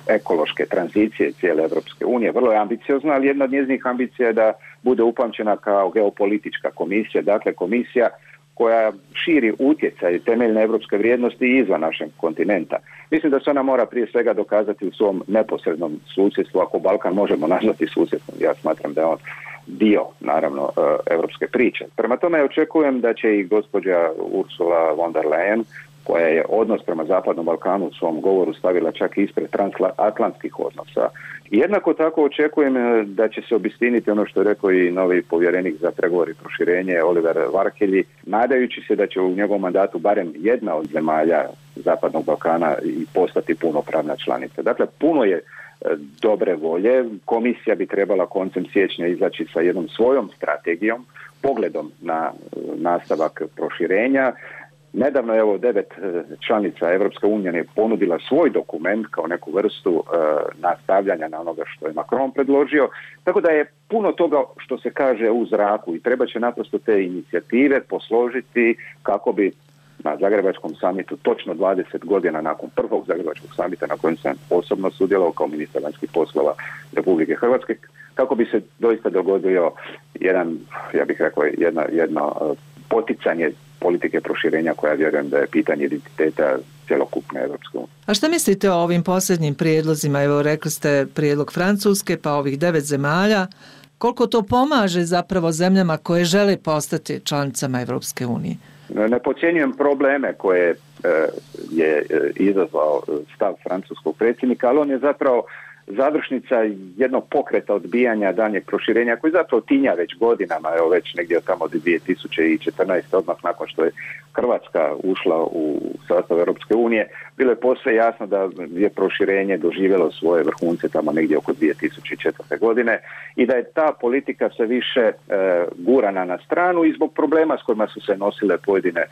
ekološke tranzicije cijele Europske unije. Vrlo je ambiciozna, ali jedna od njezinih ambicija je da bude upamćena kao geopolitička komisija, dakle komisija koja širi utjecaj temeljne europske vrijednosti izvan našeg kontinenta. Mislim da se ona mora prije svega dokazati u svom neposrednom susjedstvu, ako Balkan možemo nazvati susjedstvom. Ja smatram da je on dio, naravno, europske priče. Prema tome očekujem da će i gospođa Ursula von der Leyen, koja je odnos prema Zapadnom Balkanu u svom govoru stavila čak ispred transatlantskih odnosa. Jednako tako očekujem da će se obistiniti ono što je rekao i novi povjerenik za pregovor i proširenje Oliver Varhelyi, nadajući se da će u njegovom mandatu barem jedna od zemalja Zapadnog Balkana i postati punopravna članica. Dakle, puno je dobre volje. Komisija bi trebala koncem siječnja izaći sa jednom svojom strategijom, pogledom na nastavak proširenja. Nedavno je 9 članica Europske unije ponudila svoj dokument kao neku vrstu nastavljanja na onoga što je Macron predložio, tako da je puno toga što se kaže u zraku i treba će naprosto te inicijative posložiti kako bi na Zagrebačkom samitu točno 20 godina nakon prvog Zagrebačkog samita na kojem sam osobno sudjelovao kao ministar vanjskih poslova Republike Hrvatske, kako bi se doista dogodio jedan, ja bih rekao, jedno poticanje politike proširenja koja vjerujem da je pitanje identiteta cjelokupne Europske unije. A šta mislite o ovim posljednjim prijedlozima? Evo, rekli ste prijedlog Francuske, pa ovih 9 zemalja. Koliko to pomaže zapravo zemljama koje žele postati članicama Europske unije? Ne podcjenjujem probleme koje je izazvao stav francuskog predsjednika, ali on je zapravo završnica jednog pokreta odbijanja daljnjeg proširenja koji zapravo tinja već godinama, evo već negdje tamo od 2014. odmah nakon što je Hrvatska ušla u sastav Europske unije, bilo je posve jasno da je proširenje doživjelo svoje vrhunce tamo negdje oko 2004. godine i da je ta politika sve više gurana na stranu i zbog problema s kojima su se nosile pojedine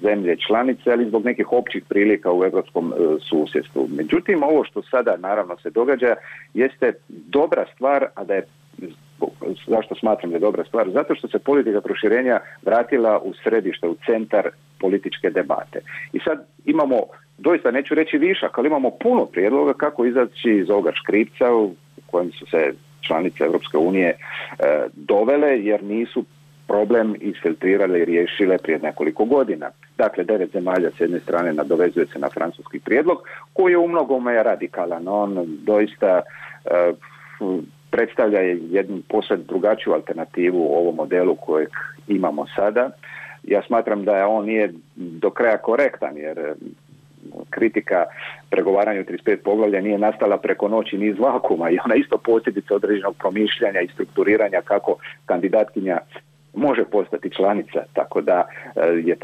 zemlje članice, ali zbog nekih općih prilika u europskom susjedstvu. Međutim, ovo što sada naravno se događa jeste dobra stvar, a da je zašto smatram da je dobra stvar? Zato što se politika proširenja vratila u središte, u centar političke debate. I sad imamo, doista neću reći višak, ali imamo puno prijedloga kako izaći iz ovoga škripca u kojem su se članice Europske unije dovele, jer nisu problem isfiltrirale i riješile prije nekoliko godina. Dakle, 9 zemalja s jedne strane nadovezuje se na francuski prijedlog, koji je u mnogome radikalan. On doista predstavlja jednu posve drugačiju alternativu u ovom modelu kojeg imamo sada. Ja smatram da on nije do kraja korektan, jer kritika pregovaranju 35 poglavlja nije nastala preko noći ni iz vakuma i ona isto posljedica određenog promišljanja i strukturiranja kako kandidatkinja može postati članica, tako da je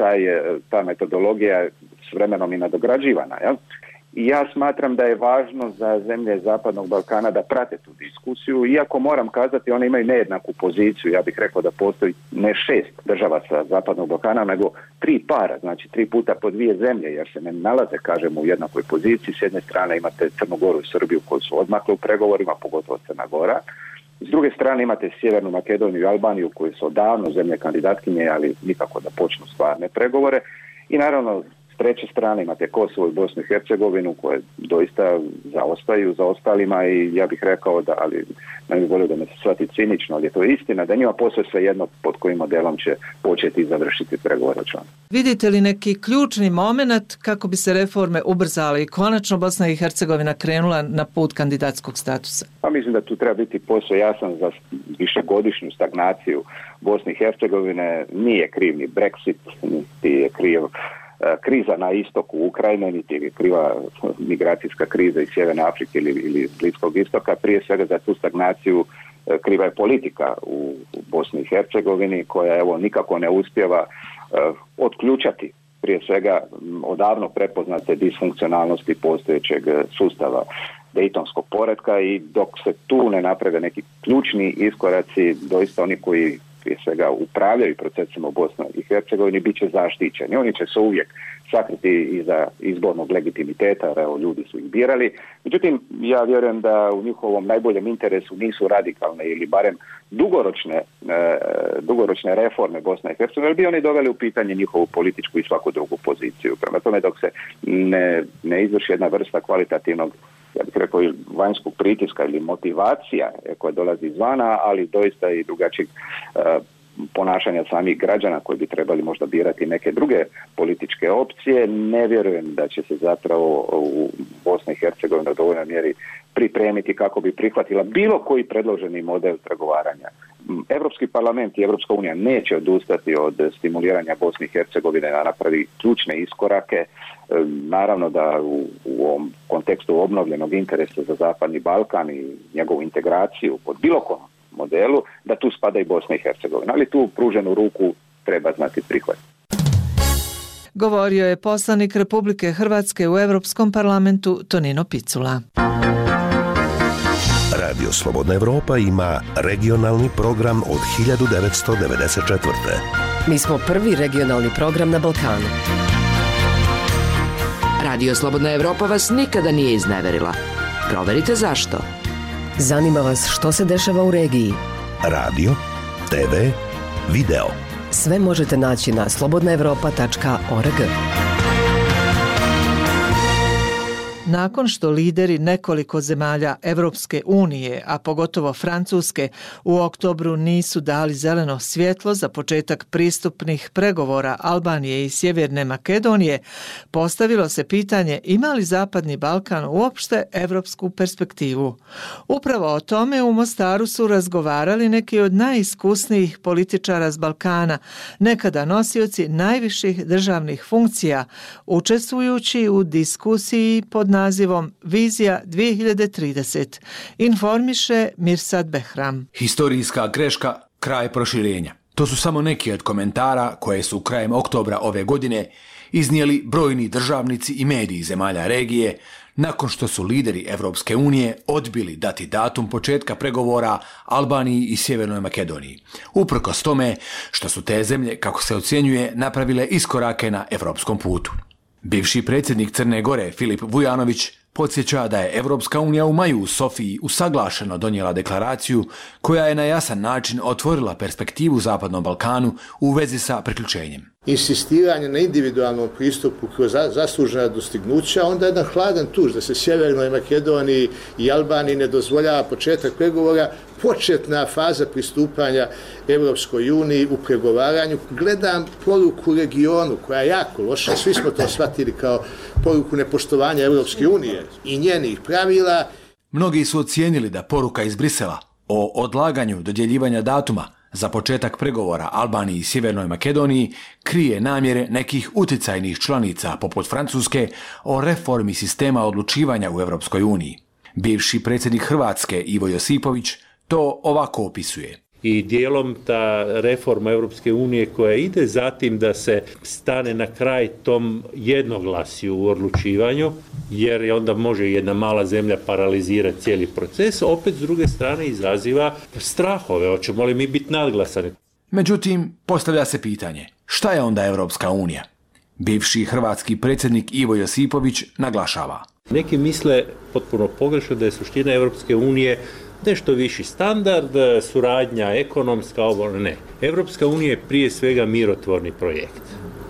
ta metodologija s vremenom i nadograđivana. Jel? I ja smatram da je važno za zemlje Zapadnog Balkana da prate tu diskusiju, iako moram kazati one imaju nejednaku poziciju. Ja bih rekao da postoji ne 6 država sa Zapadnog Balkana, nego 3 para, znači 3 puta po 2 zemlje, jer se ne nalaze, kažemo, u jednakoj poziciji. S jedne strane imate Crnu Goru i Srbiju koji su odmakle u pregovorima, pogotovo Crna Gora. S druge strane imate Sjevernu Makedoniju i Albaniju koji su odavno zemlje kandidatkinje, ali nikako da počnu stvarne pregovore. I naravno, s treće strane imate Kosovo i Bosnu i Hercegovinu koje doista zaostaju za ostalima i ja bih rekao da, ali ne bih volio da me se shvati cinično, ali je to istina da njima posve svejedno pod kojim modelom će početi i završiti pregovore o članstvu. Vidite li neki ključni moment kako bi se reforme ubrzale i konačno Bosna i Hercegovina krenula na put kandidatskog statusa? Pa mislim da tu treba biti posve jasan za višegodišnju stagnaciju Bosne i Hercegovine. Nije kriv ni Brexit, niti je kriv kriza na istoku Ukrajine, niti je kriva migracijska kriza iz Sjeverne Afrike ili Bliskog istoka. Prije svega za tu stagnaciju kriva je politika u Bosni i Hercegovini koja evo nikako ne uspijeva otključati prije svega odavno prepoznate disfunkcionalnosti postojećeg sustava dejtonskog poretka i dok se tu ne naprave neki ključni iskoraci, doista oni koji prije svega upravljaju procesima u Bosni i Hercegovini bit će zaštićeni. Oni će se uvijek sakriti iza izbornog legitimiteta, jer evo ljudi su ih birali. Međutim, ja vjerujem da u njihovom najboljem interesu nisu radikalne ili barem dugoročne reforme Bosne i Hercegovine, jer bi oni doveli u pitanje njihovu političku i svaku drugu poziciju. Prema tome, dok se ne izvrši jedna vrsta kvalitativnog, ja bih rekao, vanjskog pritiska ili motivacija koja dolazi izvana, ali doista i drugačijeg ponašanja samih građana koji bi trebali možda birati neke druge političke opcije, ne vjerujem da će se zapravo u Bosni i Hercegovini u dovoljnoj mjeri pripremiti kako bi prihvatila bilo koji predloženi model pregovaranja. Europski parlament i Europska unija neće odustati od stimuliranja Bosne i Hercegovine da napravi ključne iskorake. Naravno da u ovom kontekstu obnovljenog interesa za Zapadni Balkan i njegovu integraciju pod bilo kom modelu, da tu spada i Bosna i Hercegovina, ali tu pruženu ruku treba znati prihvatiti. Govorio je poslanik Republike Hrvatske u Europskom parlamentu Tonino Picula. Radio Slobodna Evropa ima regionalni program od 1994. Mi smo prvi regionalni program na Balkanu. Radio Slobodna Evropa vas nikada nije izneverila. Proverite zašto. Zanima vas što se dešava u regiji. Radio, TV, video. Sve možete naći na slobodnaevropa.org. Nakon što lideri nekoliko zemalja Evropske unije, a pogotovo Francuske, u oktobru nisu dali zeleno svjetlo za početak pristupnih pregovora Albanije i Sjeverne Makedonije, postavilo se pitanje ima li Zapadni Balkan uopšte evropsku perspektivu. Upravo o tome u Mostaru su razgovarali neki od najiskusnijih političara s Balkana, nekada nosioci najviših državnih funkcija, učestvujući u diskusiji pod nazivom Vizija 2030. Informiše Mirsad Behram. Historijska greška, kraj proširenja. To su samo neki od komentara koje su krajem oktobra ove godine iznijeli brojni državnici i mediji zemalja regije nakon što su lideri Evropske unije odbili dati datum početka pregovora Albaniji i Sjevernoj Makedoniji. Uprkos tome što su te zemlje, kako se ocjenjuje, napravile iskorake na evropskom putu. Bivši predsjednik Crne Gore Filip Vujanović podsjeća da je Evropska unija u maju u Sofiji usaglašeno donijela deklaraciju koja je na jasan način otvorila perspektivu Zapadnom Balkanu u vezi sa priključenjem. Insistiranje na individualnom pristupu kroz zaslužena dostignuća, onda jedan hladan tuž da se Sjevernoj Makedoniji i Albaniji ne dozvoljava početak pregovora, početna faza pristupanja Evropskoj uniji u pregovaranju. Gledam poruku regionu koja je jako loša, svi smo to shvatili kao poruku nepoštovanja Evropske unije i njenih pravila. Mnogi su ocijenili da poruka iz Brisela o odlaganju dodjeljivanja datuma za početak pregovora Albaniji i Sjevernoj Makedoniji krije namjere nekih uticajnih članica poput Francuske o reformi sistema odlučivanja u Evropskoj uniji. Bivši predsjednik Hrvatske Ivo Josipović to ovako opisuje. i dijelom ta reforma Europske unije koja ide zatim da se stane na kraj tom jednoglasju u odlučivanju, jer onda može jedna mala zemlja paralizirati cijeli proces, opet s druge strane izaziva strahove, hoćemo li mi biti nadglasani. Međutim, postavlja se pitanje, šta je onda Europska unija? Bivši hrvatski predsjednik Ivo Josipović naglašava. Neki misle potpuno pogrešno da je suština Europske unije nešto viši standard, suradnja ekonomska, ovo ne. Europska unija je prije svega mirotvorni projekt.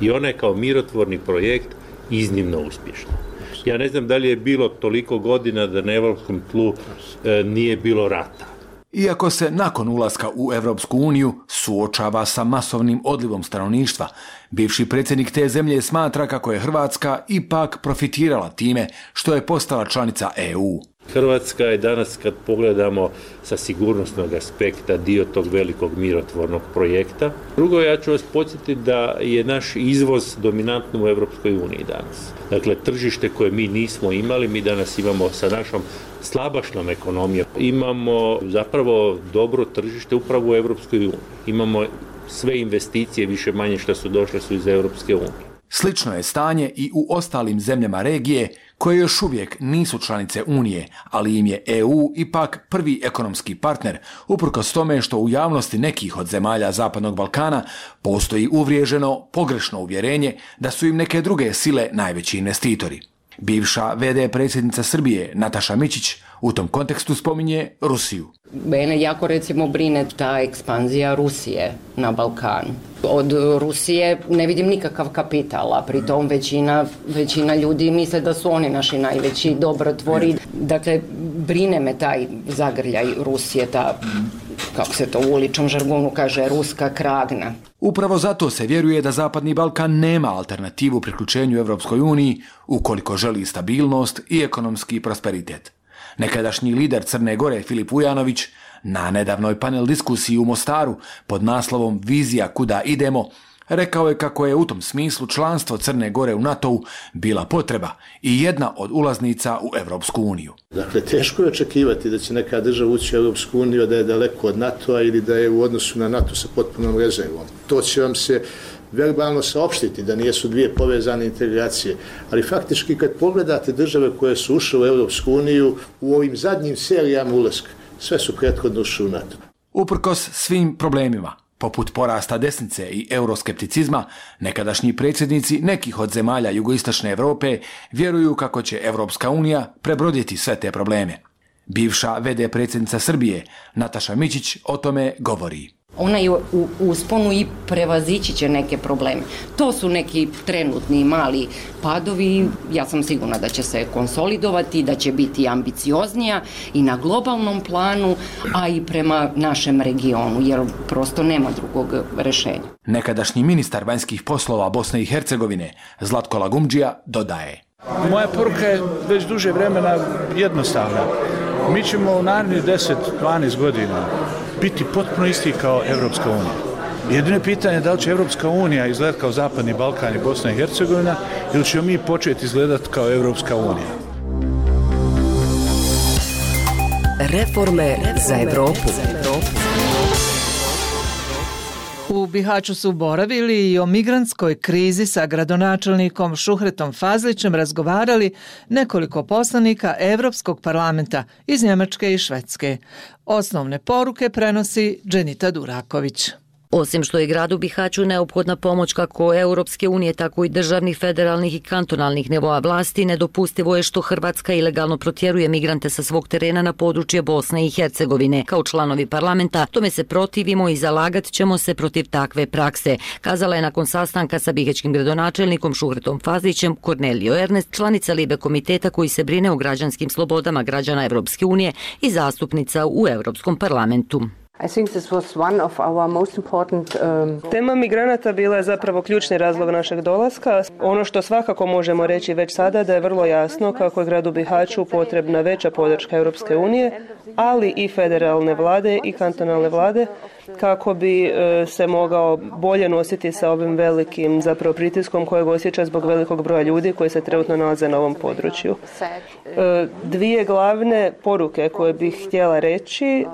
I ona je kao mirotvorni projekt iznimno uspješna. Ja ne znam da li je bilo toliko godina da na europskom tlu nije bilo rata. Iako se nakon ulaska u Europsku uniju suočava sa masovnim odlivom stanovništva, bivši predsjednik te zemlje smatra kako je Hrvatska ipak profitirala time što je postala članica EU. Hrvatska je danas, kad pogledamo sa sigurnosnog aspekta, dio tog velikog mirotvornog projekta. Drugo, ja ću vas podsjetiti da je naš izvoz dominantno u Europskoj uniji danas. Dakle, tržište koje mi nismo imali, mi danas imamo sa našom slabašnom ekonomijom. Imamo zapravo dobro tržište upravo u Europskoj uniji. Imamo sve investicije, više manje što su došle su iz Europske unije. Slično je stanje i u ostalim zemljama regije koje još uvijek nisu članice Unije, ali im je EU ipak prvi ekonomski partner, uprkos tome što u javnosti nekih od zemalja Zapadnog Balkana postoji uvriježeno, pogrešno uvjerenje da su im neke druge sile najveći investitori. Bivša VD predsjednica Srbije Nataša Mićić u tom kontekstu spominje Rusiju. Mene jako recimo brine ta ekspanzija Rusije na Balkanu. Od Rusije ne vidim nikakav kapital, a pritom većina ljudi misle da su oni naši najveći dobrotvori. Dakle, brine me taj zagrljaj Rusije, ta, kako se to u uličnom žargonu kaže, ruska kragna. Upravo zato se vjeruje da Zapadni Balkan nema alternativu priključenju Europskoj uniji ukoliko želi stabilnost i ekonomski prosperitet. Nekadašnji lider Crne Gore Filip Vujanović na nedavnoj panel diskusiji u Mostaru pod naslovom Vizija kuda idemo rekao je kako je u tom smislu članstvo Crne Gore u NATO-u bila potreba i jedna od ulaznica u Europsku uniju. Dakle, teško je očekivati da će neka država ući u Europsku uniju da je daleko od NATO-a ili da je u odnosu na NATO sa potpunom rezervom. To će vam se verbalno saopštiti da nijesu dvije povezane integracije, ali faktički kad pogledate države koje su ušle u Europsku uniju u ovim zadnjim serijama ulaska, sve su prethodno ušle u NATO. Uprkos svim problemima, poput porasta desnice i euroskepticizma, nekadašnji predsjednici nekih od zemalja jugoistočne Europe vjeruju kako će Europska unija prebroditi sve te probleme. Bivša VD predsjednica Srbije Nataša Mićić o tome govori. Ona je u usponu i prevazići će neke probleme. To su neki trenutni mali padovi. Ja sam sigurna da će se konsolidovati, da će biti ambicioznija i na globalnom planu, a i prema našem regionu, jer prosto nema drugog rješenja. Nekadašnji ministar vanjskih poslova Bosne i Hercegovine Zlatko Lagumdžija dodaje. Moja poruka je već duže vremena jednostavna. Mi ćemo u narednih 10-12 godina biti potpuno isti kao Europska unija. Jedino je pitanje da li će Europska unija izgledati kao Zapadni Balkan i Bosna i Hercegovina ili ćemo mi početi izgledati kao Europska unija. Reforme za Evropu. U Bihaću su boravili i o migrantskoj krizi sa gradonačelnikom Šuhretom Fazlićem razgovarali nekoliko poslanika Evropskog parlamenta iz Njemačke i Švedske. Osnovne poruke prenosi Dženita Duraković. Osim što je gradu Bihaću neophodna pomoć kako Europske unije, tako i državnih, federalnih i kantonalnih nivoa vlasti, nedopustivo je što Hrvatska ilegalno protjeruje migrante sa svog terena na područje Bosne i Hercegovine. Kao članovi parlamenta tome se protivimo i zalagat ćemo se protiv takve prakse, kazala je nakon sastanka sa bihaćkim gradonačelnikom Šuhretom Fazlićem Kornelio Ernest, članica Libe komiteta koji se brine o građanskim slobodama građana Europske unije i zastupnica u Europskom parlamentu. Tema migranata bila je zapravo ključni razlog našeg dolaska. Ono što svakako možemo reći već sada da je vrlo jasno kako je gradu Bihaću potrebna veća podrška Europske unije, ali i federalne vlade i kantonalne vlade kako bi se mogao bolje nositi sa ovim velikim zapravo pritiskom kojeg osjeća zbog velikog broja ljudi koji se trenutno nalaze na ovom području. Dvije glavne poruke koje bih htjela reći,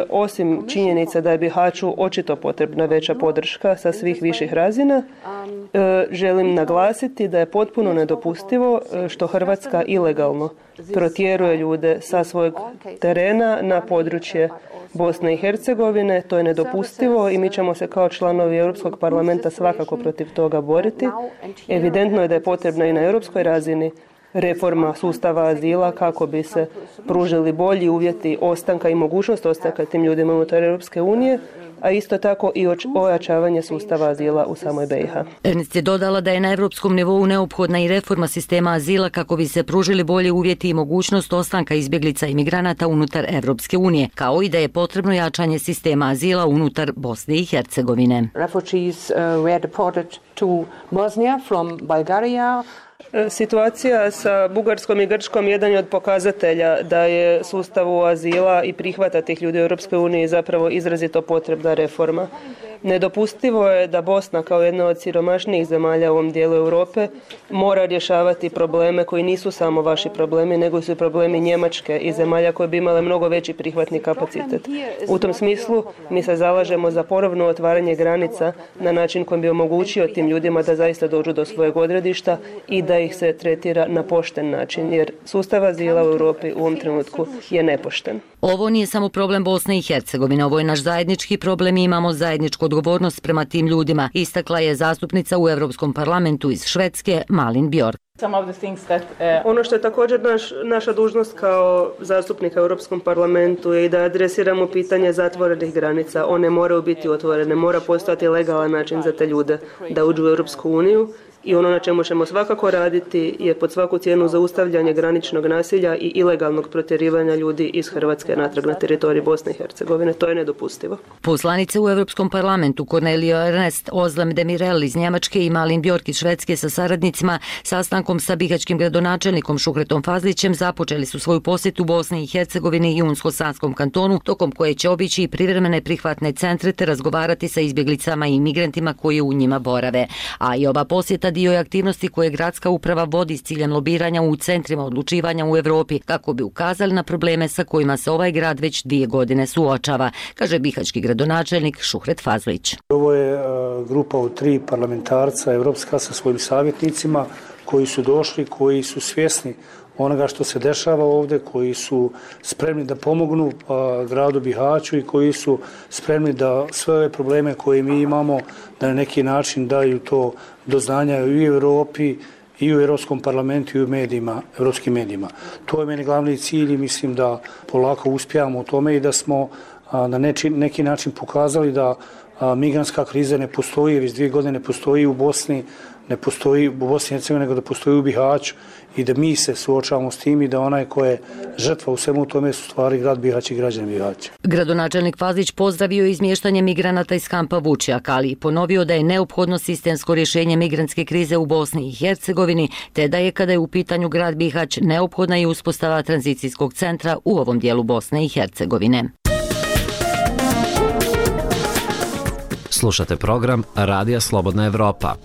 osim činjenica da je Bihaću očito potrebna veća podrška sa svih viših razina, želim naglasiti da je potpuno nedopustivo što Hrvatska ilegalno protjeruje ljude sa svojeg terena na područje Bosne i Hercegovine. To je nedopustivo i mi ćemo se kao članovi Europskog parlamenta svakako protiv toga boriti. Evidentno je da je potrebna i na europskoj razini reforma sustava azila kako bi se pružili bolji uvjeti ostanka i mogućnost ostanka tim ljudima unutar Europske unije, a isto tako i ojačavanje sustava azila u samoj BiH. Ernst je dodala da je na europskom nivou neophodna i reforma sistema azila kako bi se pružili bolji uvjeti i mogućnost ostanka izbjeglica i migranata unutar Evropske unije, kao i da je potrebno jačanje sistema azila unutar Bosne i Hercegovine. Refugees were deported to Bosnia from Bulgaria. Situacija sa Bugarskom i Grčkom jedan je od pokazatelja da je sustavu azila i prihvata tih ljudi u Europskoj uniji zapravo izrazito potrebna reforma. Nedopustivo je da Bosna kao jedna od siromašnijih zemalja u ovom dijelu Europe mora rješavati probleme koji nisu samo vaši problemi, nego su problemi Njemačke i zemalja koje bi imale mnogo veći prihvatni kapacitet. U tom smislu mi se zalažemo za ponovno otvaranje granica na način kojim bi omogućio tim ljudima da zaista dođu do svojeg odredišta i da ih se tretira na pošten način, jer sustav azila u Europi u ovom trenutku je nepošten. Ovo nije samo problem Bosne i Hercegovine, ovo je naš zajednički problem i imamo zajedničku odgovornost prema tim ljudima, istakla je zastupnica u Europskom parlamentu iz Švedske Malin Bjork. Ono što je također naša dužnost kao zastupnika u Europskom parlamentu je i da adresiramo pitanje zatvorenih granica. One moraju biti otvorene, mora postojati legalan način za te ljude da uđu u Europsku uniju. I ono na čemu ćemo svakako raditi je pod svaku cijenu zaustavljanje graničnog nasilja i ilegalnog protjerivanja ljudi iz Hrvatske natrag na teritorij Bosne i Hercegovine. To je nedopustivo. Poslanice u Europskom parlamentu Cornelio Ernst, Ozlem Demirel iz Njemačke i Malin Bjork iz Švedske sa saradnicima sastankom sa bihaćkim gradonačelnikom Šuhretom Fazlićem započeli su svoju posjetu Bosni i Hercegovini i Unsko-Sanskom kantonu, tokom koje će obići i privremene prihvatne centre te razgovarati sa izbjeglicama i migrantima koji u njima borave. A i ova posjeta dio je aktivnosti koje gradska uprava vodi s ciljem lobiranja u centrima odlučivanja u Europi kako bi ukazali na probleme sa kojima se ovaj grad već 2 godine suočava, kaže bihaćki gradonačelnik Šuhret Fazlić. Ovo je grupa od 3 parlamentarca evropska sa svojim savjetnicima koji su došli, koji su svjesni onoga što se dešava ovdje, koji su spremni da pomognu gradu Bihaću i koji su spremni da sve ove probleme koje mi imamo da na neki način daju to do znanja i u Europi i u Europskom parlamentu i u medijima, europskim medijima. To je meni glavni cilj i mislim da polako uspijamo u tome i da smo na neki način pokazali da migrantska kriza ne postoji, već 2 godine ne postoji u Bosni, ne postoji u Bosni i Hercegovini, nego da postoji u Bihaću i da mi se suočavamo s tim i da onaj ko je žrtva u svemu tome su stvari grad Bihać i građani Bihaća. Gradonačelnik Fazlić pozdravio izmještanje migranata iz kampa Vučjak, ali i ponovio da je neophodno sistemsko rješenje migrantske krize u Bosni i Hercegovini, te da je kada je u pitanju grad Bihać neophodna i uspostava tranzicijskog centra u ovom dijelu Bosne i Hercegovine. Slušate program Radija Slobodna Evropa.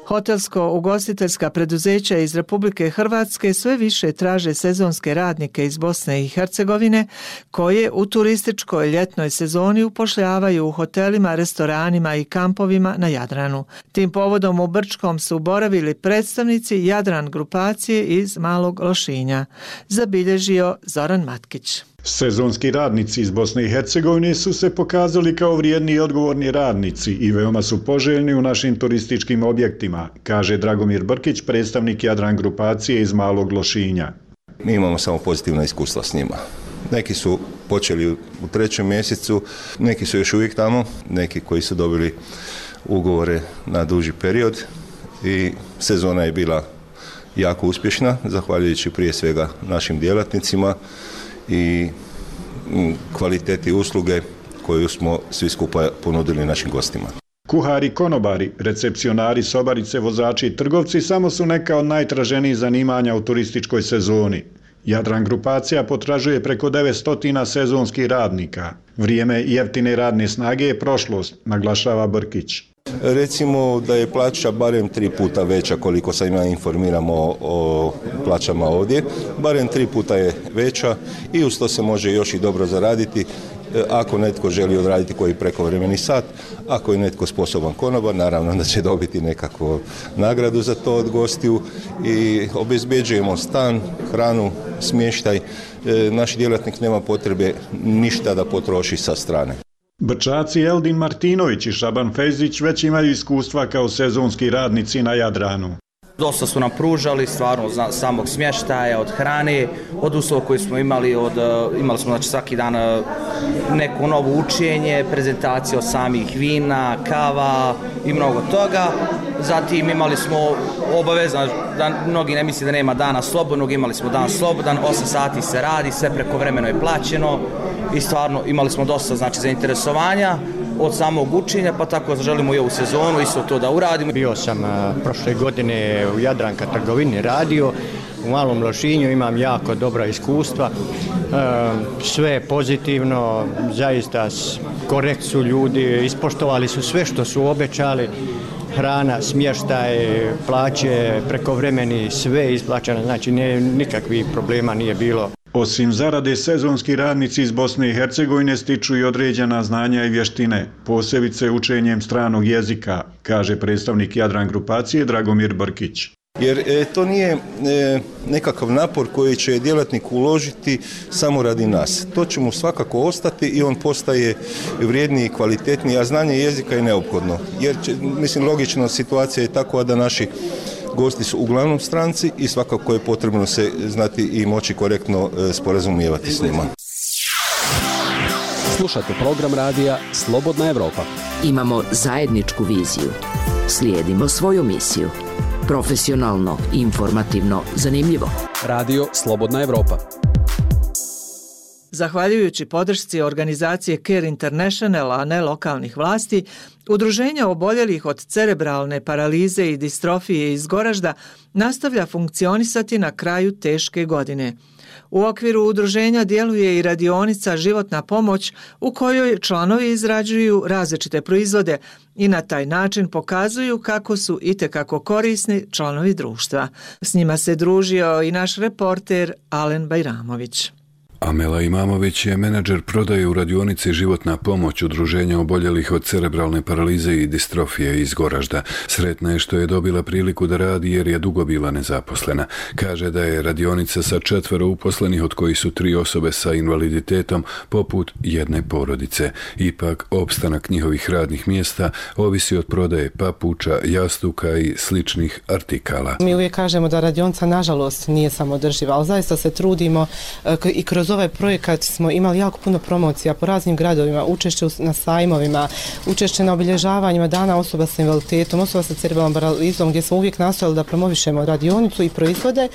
Hotelsko-ugostiteljska preduzeća iz Republike Hrvatske sve više traže sezonske radnike iz Bosne i Hercegovine koje u turističkoj ljetnoj sezoni upošljavaju u hotelima, restoranima i kampovima na Jadranu. Tim povodom u Brčkom su boravili predstavnici Jadran grupacije iz Malog Lošinja, zabilježio Zoran Matkić. Sezonski radnici iz Bosne i Hercegovine su se pokazali kao vrijedni i odgovorni radnici i veoma su poželjni u našim turističkim objektima, kaže Dragomir Brkić, predstavnik Jadran grupacije iz Malog Lošinja. Mi imamo samo pozitivna iskustva s njima. Neki su počeli u 3. mjesecu, neki su još uvijek tamo, neki koji su dobili ugovore na duži period i sezona je bila jako uspješna, zahvaljujući prije svega našim djelatnicima i kvaliteti usluge koju smo svi skupa ponudili našim gostima. Kuhari, konobari, recepcionari, sobarice, vozači i trgovci samo su neka od najtraženijih zanimanja u turističkoj sezoni. Jadran grupacija potražuje preko 900 sezonskih radnika. Vrijeme jeftine radne snage je prošlost, naglašava Brkić. Recimo da je plaća barem 3 puta veća, koliko sam ja informiramo o plaćama ovdje, barem 3 puta je veća i uz to se može još i dobro zaraditi. Ako netko želi odraditi koji prekovremeni sat, ako je netko sposoban konobar, naravno da će dobiti nekakvu nagradu za to od gostiju i obezbeđujemo stan, hranu, smještaj. Naš djelatnik nema potrebe ništa da potroši sa strane. Brčaci Eldin Martinović i Šaban Fejzić već imaju iskustva kao sezonski radnici na Jadranu. Dosta su nam pružali, stvarno od samog smještaja, od hrane, od uslova koje smo imali, imali smo znači, svaki dan neko novo učenje, prezentacije od samih vina, kava i mnogo toga. Zatim imali smo obavezno, da mnogi ne misli da nema dana slobodnog, imali smo dan slobodan, 8 sati se radi, sve prekovremeno je plaćeno i stvarno imali smo dosta znači, zainteresovanja od samog učenja, pa tako želimo i ovu sezonu isto to da uradimo. Bio sam prošle godine u Jadranka trgovini radio, u Malom Lošinju, imam jako dobra iskustva, sve pozitivno, zaista korekt su ljudi, ispoštovali su sve što su obećali, hrana, smještaj, plaće, prekovremeni, sve isplaćeno, znači nikakvih problema nije bilo. Osim zarade, sezonski radnici iz Bosne i Hercegovine stiču i određena znanja i vještine, posebice učenjem stranog jezika, kaže predstavnik Jadran grupacije Dragomir Brkić. Jer to nije nekakav napor koji će djelatnik uložiti samo radi nas. To će mu svakako ostati i on postaje vrijedniji i kvalitetniji, a znanje jezika je neophodno. Jer, mislim, logično situacija je takva da naši gosti su uglavnom stranci i svakako je potrebno se znati i moći korektno sporazumijevati s njima. Slušate program radija Slobodna Evropa. Imamo zajedničku viziju. Slijedimo svoju misiju. Profesionalno, informativno, zanimljivo. Radio Slobodna Evropa. Zahvaljujući podršci organizacije Care International, a ne lokalnih vlasti, Udruženje oboljelih od cerebralne paralize i distrofije iz Goražda nastavlja funkcionisati na kraju teške godine. U okviru udruženja djeluje i radionica Životna pomoć u kojoj članovi izrađuju različite proizvode i na taj način pokazuju kako su itekako korisni članovi društva. S njima se družio i naš reporter Alen Bajramović. Amela Imamović je menadžer prodaje u radionici Životna pomoć Udruženja oboljelih od cerebralne paralize i distrofije iz Goražda. Sretna je što je dobila priliku da radi jer je dugo bila nezaposlena. Kaže da je radionica sa 4 uposlenih, od kojih su 3 osobe sa invaliditetom, poput jedne porodice. Ipak, opstanak njihovih radnih mjesta ovisi od prodaje papuča, jastuka i sličnih artikala. Mi uvijek kažemo da radionica nažalost nije samodrživa, ali zaista se trudimo i kroz ovaj projekat smo imali jako puno promocija po raznim gradovima, učešće na sajmovima, učešće na obilježavanjima dana osoba sa invaliditetom, osoba sa cerebralnom paralizom, gdje smo uvijek nastojali da promovišemo radionicu i proizvode,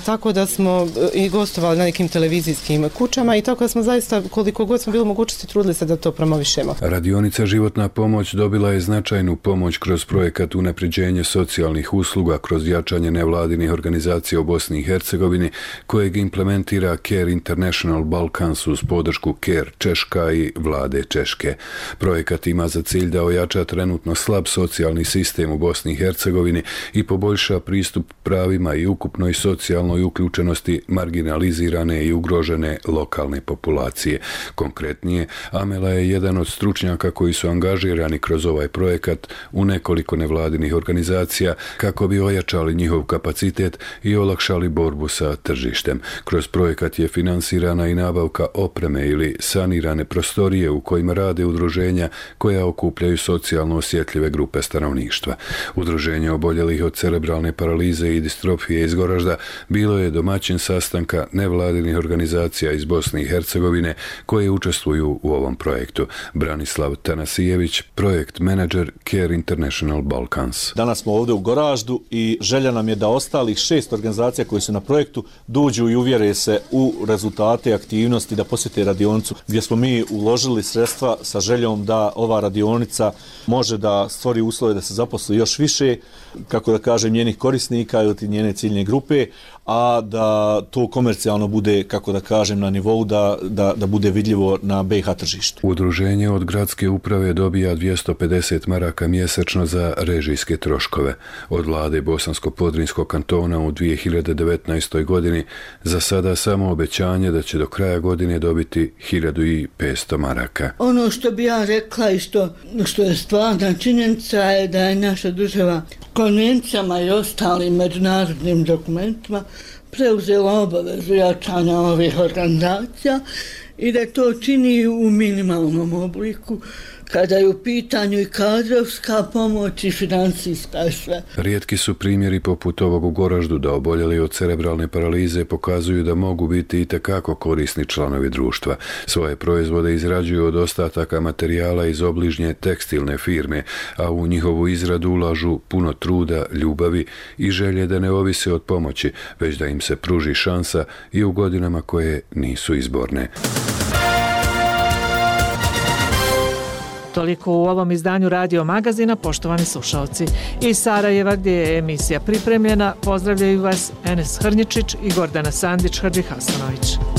tako da smo i gostovali na nekim televizijskim kućama i tako da smo zaista, koliko god smo bili mogućnosti, trudili se da to promovišemo. Radionica Životna pomoć dobila je značajnu pomoć kroz projekat unapređenje socijalnih usluga kroz jačanje nevladinih organizacija u Bosni i Hercegovini, kojeg implementira Care International Balkans uz podršku Care Češka i vlade Češke. Projekat ima za cilj da ojača trenutno slab socijalni sistem u Bosni i Hercegovini i poboljša pristup pravima i ukupnoj socijalnoj uključenosti marginalizirane i ugrožene lokalne populacije. Konkretnije, Amela je jedan od stručnjaka koji su angažirani kroz ovaj projekat u nekoliko nevladinih organizacija kako bi ojačali njihov kapacitet i olakšali borbu sa tržištem. Kroz projekat je finansirana i nabavka opreme ili sanirane prostorije u kojima rade udruženja koja okupljaju socijalno osjetljive grupe stanovništva. Udruženje oboljelih od cerebralne paralize i distrofije iz Goražda bilo je domaćin sastanka nevladinih organizacija iz Bosne i Hercegovine koje učestvuju u ovom projektu. Branislav Tanasijević, projekt menadžer Care International Balkans. Danas smo ovdje u Goraždu i želja nam je da ostalih 6 organizacija koji su na projektu dođu i uvjere se u rezultate aktivnosti, da posjete radionicu gdje smo mi uložili sredstva sa željom da ova radionica može da stvori uslove da se zaposli još više, kako da kažem, njenih korisnika ili njene ciljne grupe, a da to komercijalno bude, kako da kažem, na nivou da bude vidljivo na BiH tržištu. Udruženje od gradske uprave dobija 250 maraka mjesečno za režijske troškove. Od vlade Bosansko-Podrinjskog kantona u 2019. godini za sada samo obećanje da će do kraja godine dobiti 1500 maraka. Ono što bi ja rekla i što je stvarna činjenica je da je naša država konvencijama i ostalim međunarodnim dokumentima preuzela obavezu jačanja ovih organizacija i da to čini u minimalnom obliku kada je u pitanju i kadrovska pomoć i financijska i sve. Rijetki su primjeri poput ovog u Goraždu da oboljeli od cerebralne paralize pokazuju da mogu biti itekako korisni članovi društva. Svoje proizvode izrađuju od ostataka materijala iz obližnje tekstilne firme, a u njihovu izradu ulažu puno truda, ljubavi i želje da ne ovise od pomoći, već da im se pruži šansa i u godinama koje nisu izborne. Toliko u ovom izdanju Radio Magazina, poštovani slušalci. Iz Sarajeva, gdje je emisija pripremljena, pozdravljaju vas Enes Hrnjičić i Gordana Sandić-Hadžihasanović.